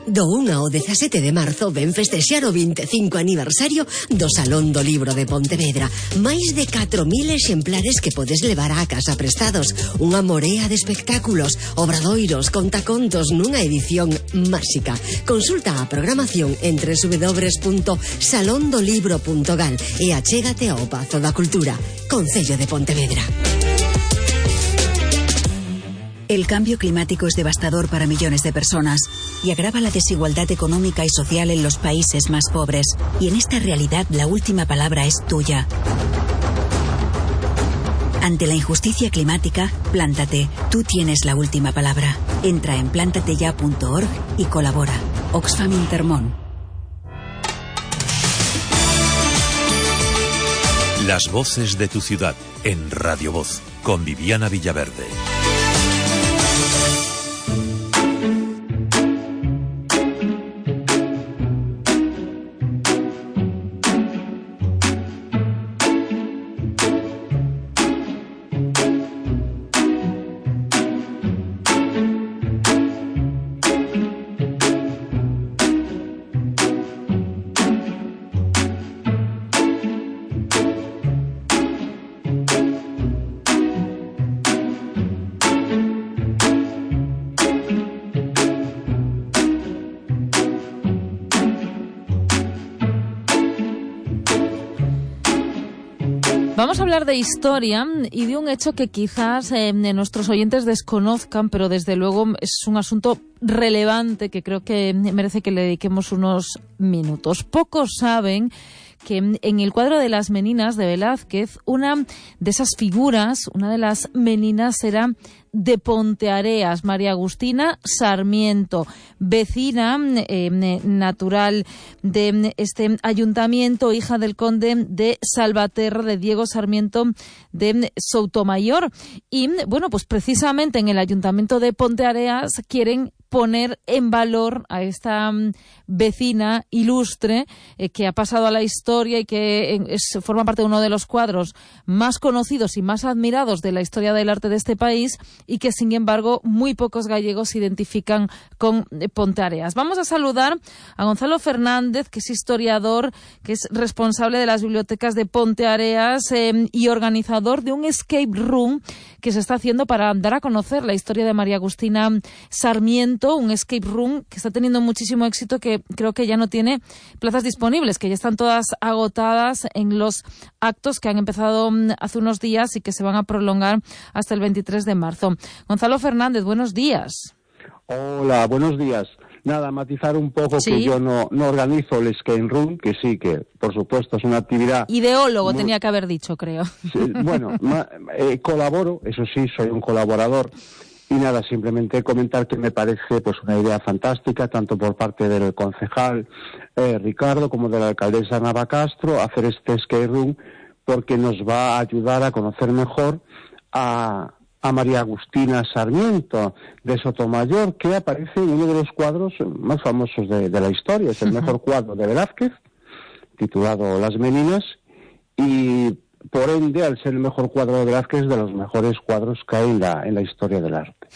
Do un ao dezasete de marzo ven festexar o vinte e cinco aniversario do Salón do Libro de Pontevedra. Máis de catro mil exemplares que podes levar á casa prestados. Unha morea de espectáculos, obradoiros, contacontos nunha edición máxica. Consulta a programación en doble u doble u doble u punto salón do libro punto gal e achégate ao Pazo da Cultura, Concello de Pontevedra. El cambio climático es devastador para millones de personas y agrava la desigualdad económica y social en los países más pobres. Y en esta realidad la última palabra es tuya. Ante la injusticia climática, plántate. Tú tienes la última palabra. Entra en plántateya punto org y colabora. Oxfam Intermón. Las voces de tu ciudad en Radio Voz con Viviana Villaverde. Vamos a hablar de historia y de un hecho que quizás eh, nuestros oyentes desconozcan, pero desde luego es un asunto relevante que creo que merece que le dediquemos unos minutos. Pocos saben que en el cuadro de las Meninas de Velázquez, una de esas figuras, una de las meninas era de Ponteareas, María Agustina Sarmiento, vecina eh, natural de este ayuntamiento, hija del conde de Salvaterra, de Diego Sarmiento de Soutomayor. Y bueno, pues precisamente en el ayuntamiento de Ponteareas quieren poner en valor a esta um, vecina ilustre eh, que ha pasado a la historia y que eh, es, forma parte de uno de los cuadros más conocidos y más admirados de la historia del arte de este país y que, sin embargo, muy pocos gallegos se identifican con eh, Ponteareas. Vamos a saludar a Gonzalo Fernández, que es historiador, que es responsable de las bibliotecas de Ponteareas eh, y organizador de un escape room que se está haciendo para dar a conocer la historia de María Agustina Sarmiento, un escape room que está teniendo muchísimo éxito, que creo que ya no tiene plazas disponibles, que ya están todas agotadas en los actos que han empezado hace unos días y que se van a prolongar hasta el veintitrés de marzo. Gonzalo Fernández, buenos días. Hola, buenos días. Nada, matizar un poco ¿Sí? que yo no, no organizo el escape room, que sí, que por supuesto es una actividad... Ideólogo muy... tenía que haber dicho, creo. Sí, bueno, ma, eh, colaboro, eso sí, soy un colaborador. Y nada, simplemente comentar que me parece pues una idea fantástica, tanto por parte del concejal eh, Ricardo como de la alcaldesa Nava Castro, hacer este escape room, porque nos va a ayudar a conocer mejor a, a María Agustina Sarmiento de Sotomayor, que aparece en uno de los cuadros más famosos de, de la historia. Es el mejor cuadro de Velázquez, titulado Las Meninas, y por ende, al ser el mejor cuadro de Velázquez, es de los mejores cuadros que hay en la, en la historia del arte.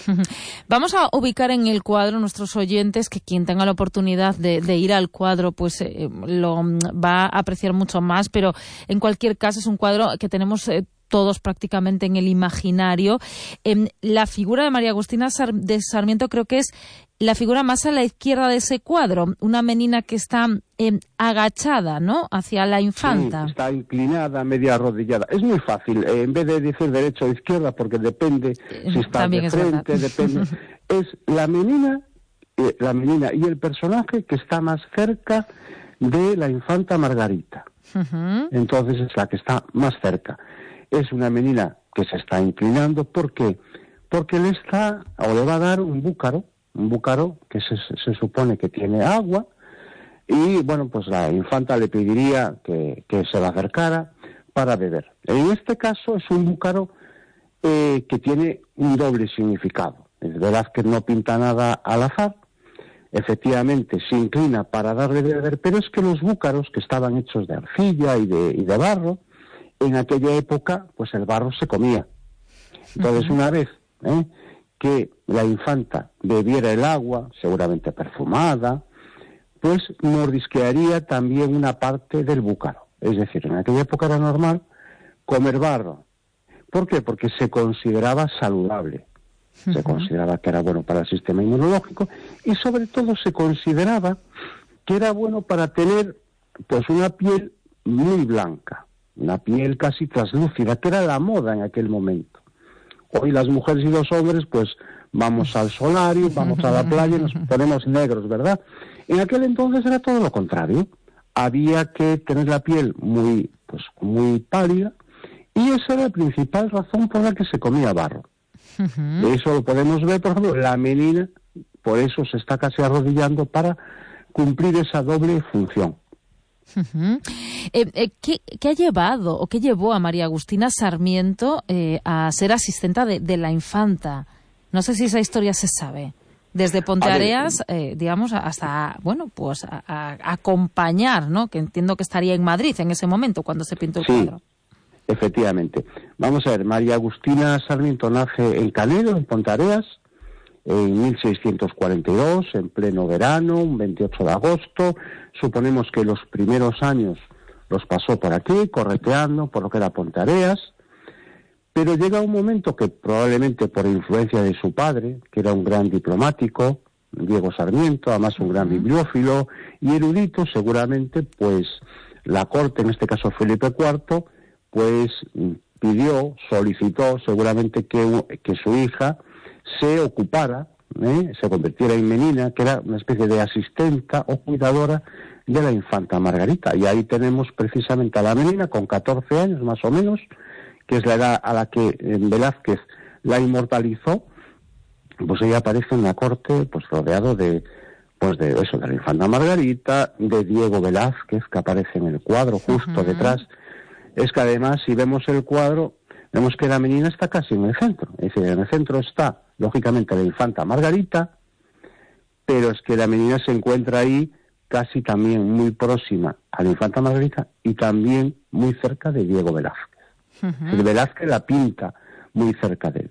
Vamos a ubicar en el cuadro nuestros oyentes, que quien tenga la oportunidad de, de ir al cuadro pues eh, lo va a apreciar mucho más, pero en cualquier caso es un cuadro que tenemos eh, todos prácticamente en el imaginario. Eh, la figura de María Agustina Sar- de Sarmiento creo que es la figura más a la izquierda de ese cuadro, una menina que está eh, agachada, ¿no?, hacia la infanta. Sí, está inclinada, media arrodillada. Es muy fácil, eh, en vez de decir derecha o izquierda, porque depende si está También de frente, depende. Es la menina, eh, la menina y el personaje que está más cerca de la infanta Margarita. Uh-huh. Entonces es la que está más cerca. Es una menina que se está inclinando. ¿Por qué? Porque le está, o le va a dar un búcaro, un búcaro que se, se supone que tiene agua, y bueno, pues la infanta le pediría que, que se la acercara para beber. En este caso es un búcaro eh, que tiene un doble significado. Es verdad que no pinta nada al azar, efectivamente se inclina para darle de beber, pero es que los búcaros, que estaban hechos de arcilla y de, y de barro, en aquella época pues el barro se comía. Entonces, una vez ¿eh? que la infanta bebiera el agua, seguramente perfumada, pues mordisquearía también una parte del búcaro. Es decir, en aquella época era normal comer barro. ¿Por qué? Porque se consideraba saludable, uh-huh. se consideraba que era bueno para el sistema inmunológico y sobre todo se consideraba que era bueno para tener pues una piel muy blanca, una piel casi translúcida, que era la moda en aquel momento. Hoy las mujeres y los hombres pues vamos al solario, vamos a la playa y nos ponemos negros, ¿verdad? En aquel entonces era todo lo contrario. Había que tener la piel muy, pues, muy pálida y esa era la principal razón por la que se comía barro. Uh-huh. Eso lo podemos ver, por ejemplo, la menina, por eso se está casi arrodillando para cumplir esa doble función. Uh-huh. Eh, eh, ¿qué, ¿Qué ha llevado o qué llevó a María Agustina Sarmiento eh, a ser asistenta de, de la infanta? No sé si esa historia se sabe. Desde Ponteareas, eh, digamos, hasta, bueno, pues a, a acompañar, ¿no? Que entiendo que estaría en Madrid en ese momento cuando se pintó el sí, cuadro. Efectivamente. Vamos a ver, María Agustina Sarmiento nace en Canedo, en Ponteareas, en mil seiscientos cuarenta y dos, en pleno verano, un veintiocho de agosto. Suponemos que los primeros años los pasó por aquí, correteando por lo que era Ponteareas. Pero llega un momento que probablemente por influencia de su padre, que era un gran diplomático, Diego Sarmiento, además un gran bibliófilo y erudito, seguramente, pues la corte, en este caso Felipe cuarto, pues pidió, solicitó seguramente que, que su hija se ocupara, ¿eh? se convirtiera en menina, que era una especie de asistenta o cuidadora de la infanta Margarita. Y ahí tenemos precisamente a la menina con catorce años más o menos, que es la edad a la que Velázquez la inmortalizó. Pues ella aparece en la corte pues rodeado de pues de eso, de la infanta Margarita, de Diego Velázquez, que aparece en el cuadro justo uh-huh. detrás. Es que además, si vemos el cuadro, vemos que la menina está casi en el centro. Es decir, en el centro está, lógicamente, la infanta Margarita, pero es que la menina se encuentra ahí casi también muy próxima a la infanta Margarita y también muy cerca de Diego Velázquez. Uh-huh. El Velázquez la pinta muy cerca de él.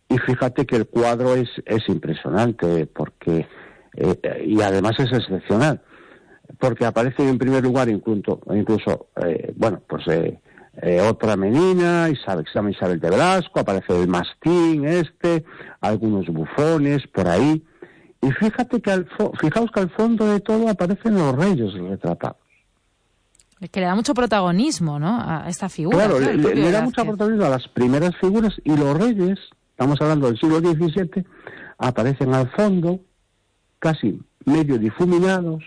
Y fíjate que el cuadro es, es impresionante, porque eh, y además es excepcional, porque aparece en primer lugar incluso, incluso eh, bueno, pues eh, eh, otra menina, Isabel, se llama Isabel de Velasco, aparece el mastín este, algunos bufones por ahí, y fíjate que al fo- fijaos que al fondo de todo aparecen los reyes retratados. Que le da mucho protagonismo, ¿no?, a esta figura. Claro, le, le, le da mucho protagonismo a las primeras figuras, y los reyes, estamos hablando del siglo diecisiete, aparecen al fondo, casi medio difuminados.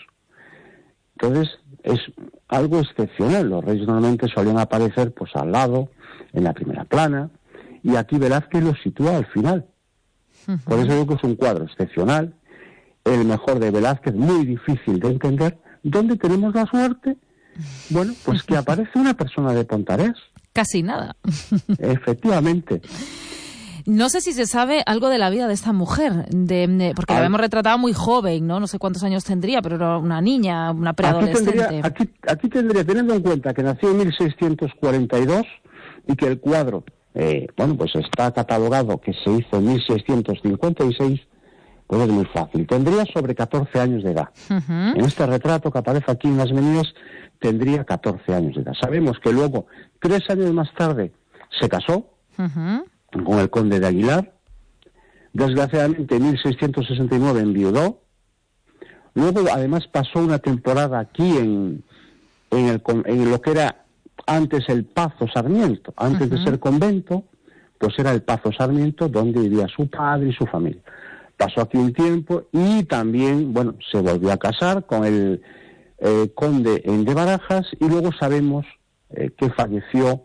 Entonces, es algo excepcional. Los reyes normalmente solían aparecer pues al lado, en la primera plana, y aquí Velázquez los sitúa al final. Uh-huh. Por eso digo que es un cuadro excepcional, el mejor de Velázquez, muy difícil de entender, donde tenemos la suerte, bueno, pues que aparece una persona de Ponteareas. Casi nada. Efectivamente. No sé si se sabe algo de la vida de esta mujer, de, de, porque la hemos retratado muy joven, ¿no? No sé cuántos años tendría, pero era una niña, una preadolescente. Aquí tendría, aquí, aquí tendría, teniendo en cuenta que nació en mil seiscientos cuarenta y dos y que el cuadro, eh, bueno, pues está catalogado que se hizo en mil seiscientos cincuenta y seis, pues es muy fácil. Tendría sobre catorce años de edad. Uh-huh. En este retrato que aparece aquí en las meninas, tendría catorce años de edad. Sabemos que luego, tres años más tarde, se casó. Uh-huh. Con el conde de Aguilar. Desgraciadamente en mil seiscientos sesenta y nueve enviudó. Luego además pasó una temporada aquí en, en, el, en lo que era antes el Pazo Sarmiento, antes uh-huh. de ser convento, pues era el Pazo Sarmiento donde vivía su padre y su familia. Pasó aquí un tiempo y también, bueno, se volvió a casar con el eh, conde de Barajas, y luego sabemos eh, que falleció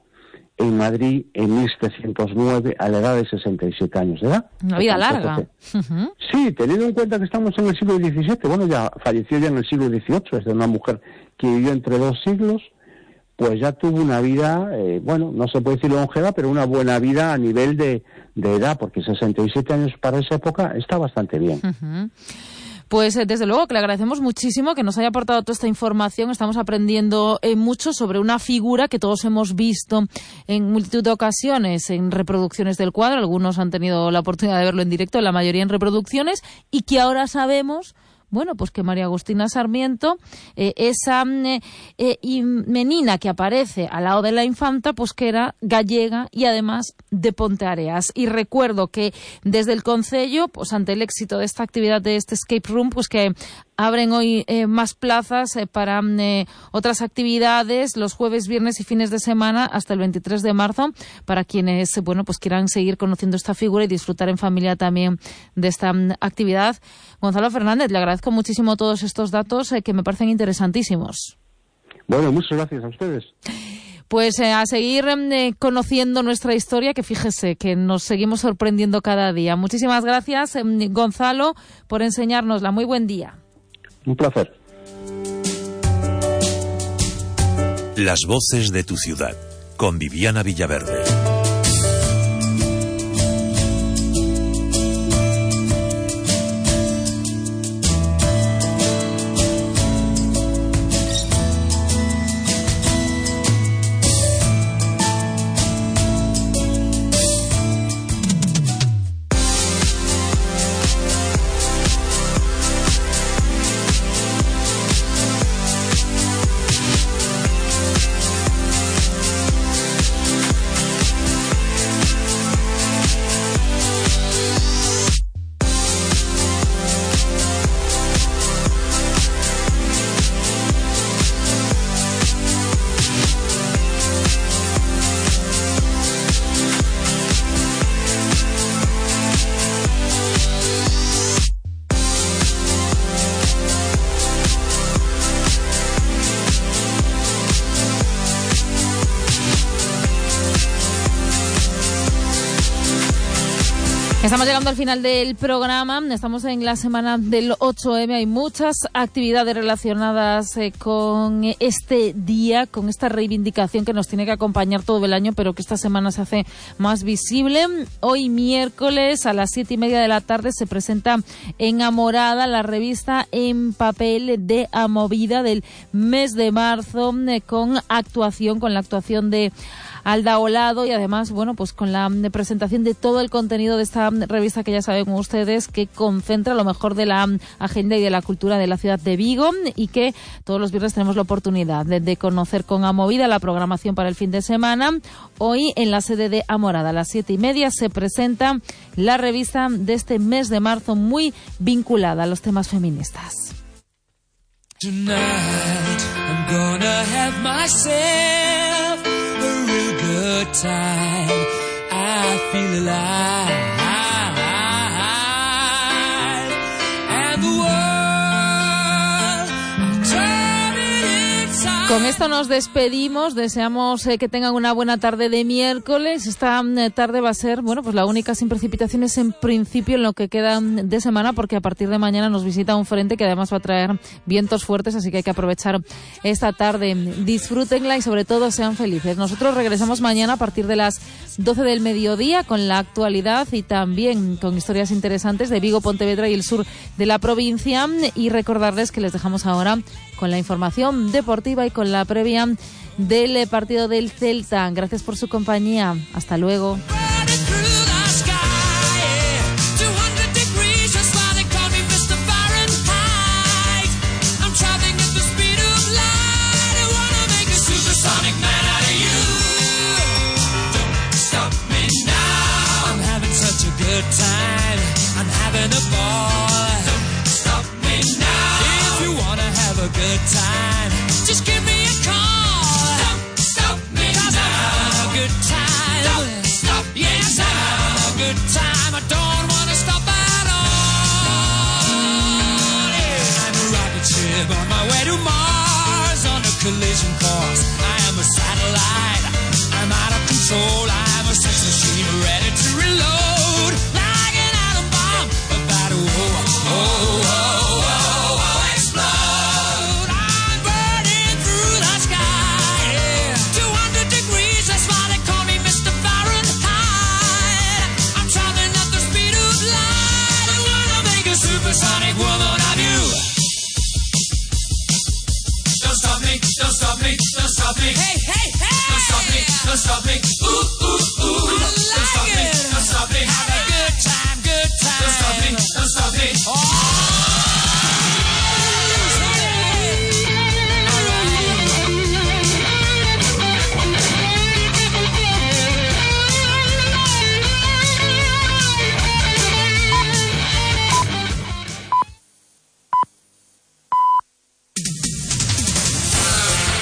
en Madrid en mil setecientos nueve a la edad de sesenta y siete años de edad. Una vida larga. Uh-huh. Sí, teniendo en cuenta que estamos en el siglo diecisiete, bueno, ya falleció ya en el siglo dieciocho, es de una mujer que vivió entre dos siglos, pues ya tuvo una vida, eh, bueno, no se puede decir longeva, pero una buena vida a nivel de, de edad, porque sesenta y siete años para esa época está bastante bien. Uh-huh. Pues eh, desde luego que le agradecemos muchísimo que nos haya aportado toda esta información. Estamos aprendiendo eh, mucho sobre una figura que todos hemos visto en multitud de ocasiones en reproducciones del cuadro. Algunos han tenido la oportunidad de verlo en directo, la mayoría en reproducciones, y que ahora sabemos, bueno, pues que María Agustina Sarmiento, eh, esa eh, eh, menina que aparece al lado de la infanta, pues que era gallega y además de Ponteareas. Y recuerdo que desde el Concello, pues ante el éxito de esta actividad de este escape room, pues que abren hoy eh, más plazas eh, para eh, otras actividades los jueves, viernes y fines de semana hasta el veintitrés de marzo para quienes, bueno, pues quieran seguir conociendo esta figura y disfrutar en familia también de esta um, actividad. Gonzalo Fernández, le agradezco muchísimo todos estos datos eh, que me parecen interesantísimos. Bueno, muchas gracias a ustedes. Pues eh, a seguir eh, conociendo nuestra historia, que fíjese que nos seguimos sorprendiendo cada día. Muchísimas gracias, eh, Gonzalo, por enseñárnosla. Muy buen día. Un placer. Las voces de tu ciudad, con Viviana Villaverde. Estamos llegando al final del programa, estamos en la semana del ocho eme, hay muchas actividades relacionadas eh, con este día, con esta reivindicación que nos tiene que acompañar todo el año, pero que esta semana se hace más visible. Hoy miércoles a las siete y media de la tarde se presenta en Amorada la revista en papel de Amovida del mes de marzo, eh, con actuación, con la actuación de Alda Olado y además, bueno, pues con la presentación de todo el contenido de esta revista que ya saben ustedes que concentra lo mejor de la agenda y de la cultura de la ciudad de Vigo y que todos los viernes tenemos la oportunidad de, de conocer con Amovida la programación para el fin de semana. Hoy en la sede de Amorada a las siete y media se presenta la revista de este mes de marzo muy vinculada a los temas feministas. Tonight I'm gonna have myself a real good time. I feel alive, and the world I'm turning inside. Con esto nos despedimos, deseamos eh, que tengan una buena tarde de miércoles. Esta eh, tarde va a ser, bueno, pues la única sin precipitaciones en principio en lo que queda de semana, porque a partir de mañana nos visita un frente que además va a traer vientos fuertes, así que hay que aprovechar esta tarde. Disfrútenla y sobre todo sean felices. Nosotros regresamos mañana a partir de las doce del mediodía con la actualidad y también con historias interesantes de Vigo, Pontevedra y el sur de la provincia, y recordarles que les dejamos ahora con la información deportiva y con la previa del partido del Celta. Gracias por su compañía. Hasta luego. Good time, I'm having a ball. Don't stop me now. If you wanna have a good time, just give me a call. Don't stop me now. I'm having a good time. Don't stop me yes, now. I'm having a good time. I don't wanna stop at all. Yeah. I'm a rocket ship on my way to Mars on a collision course.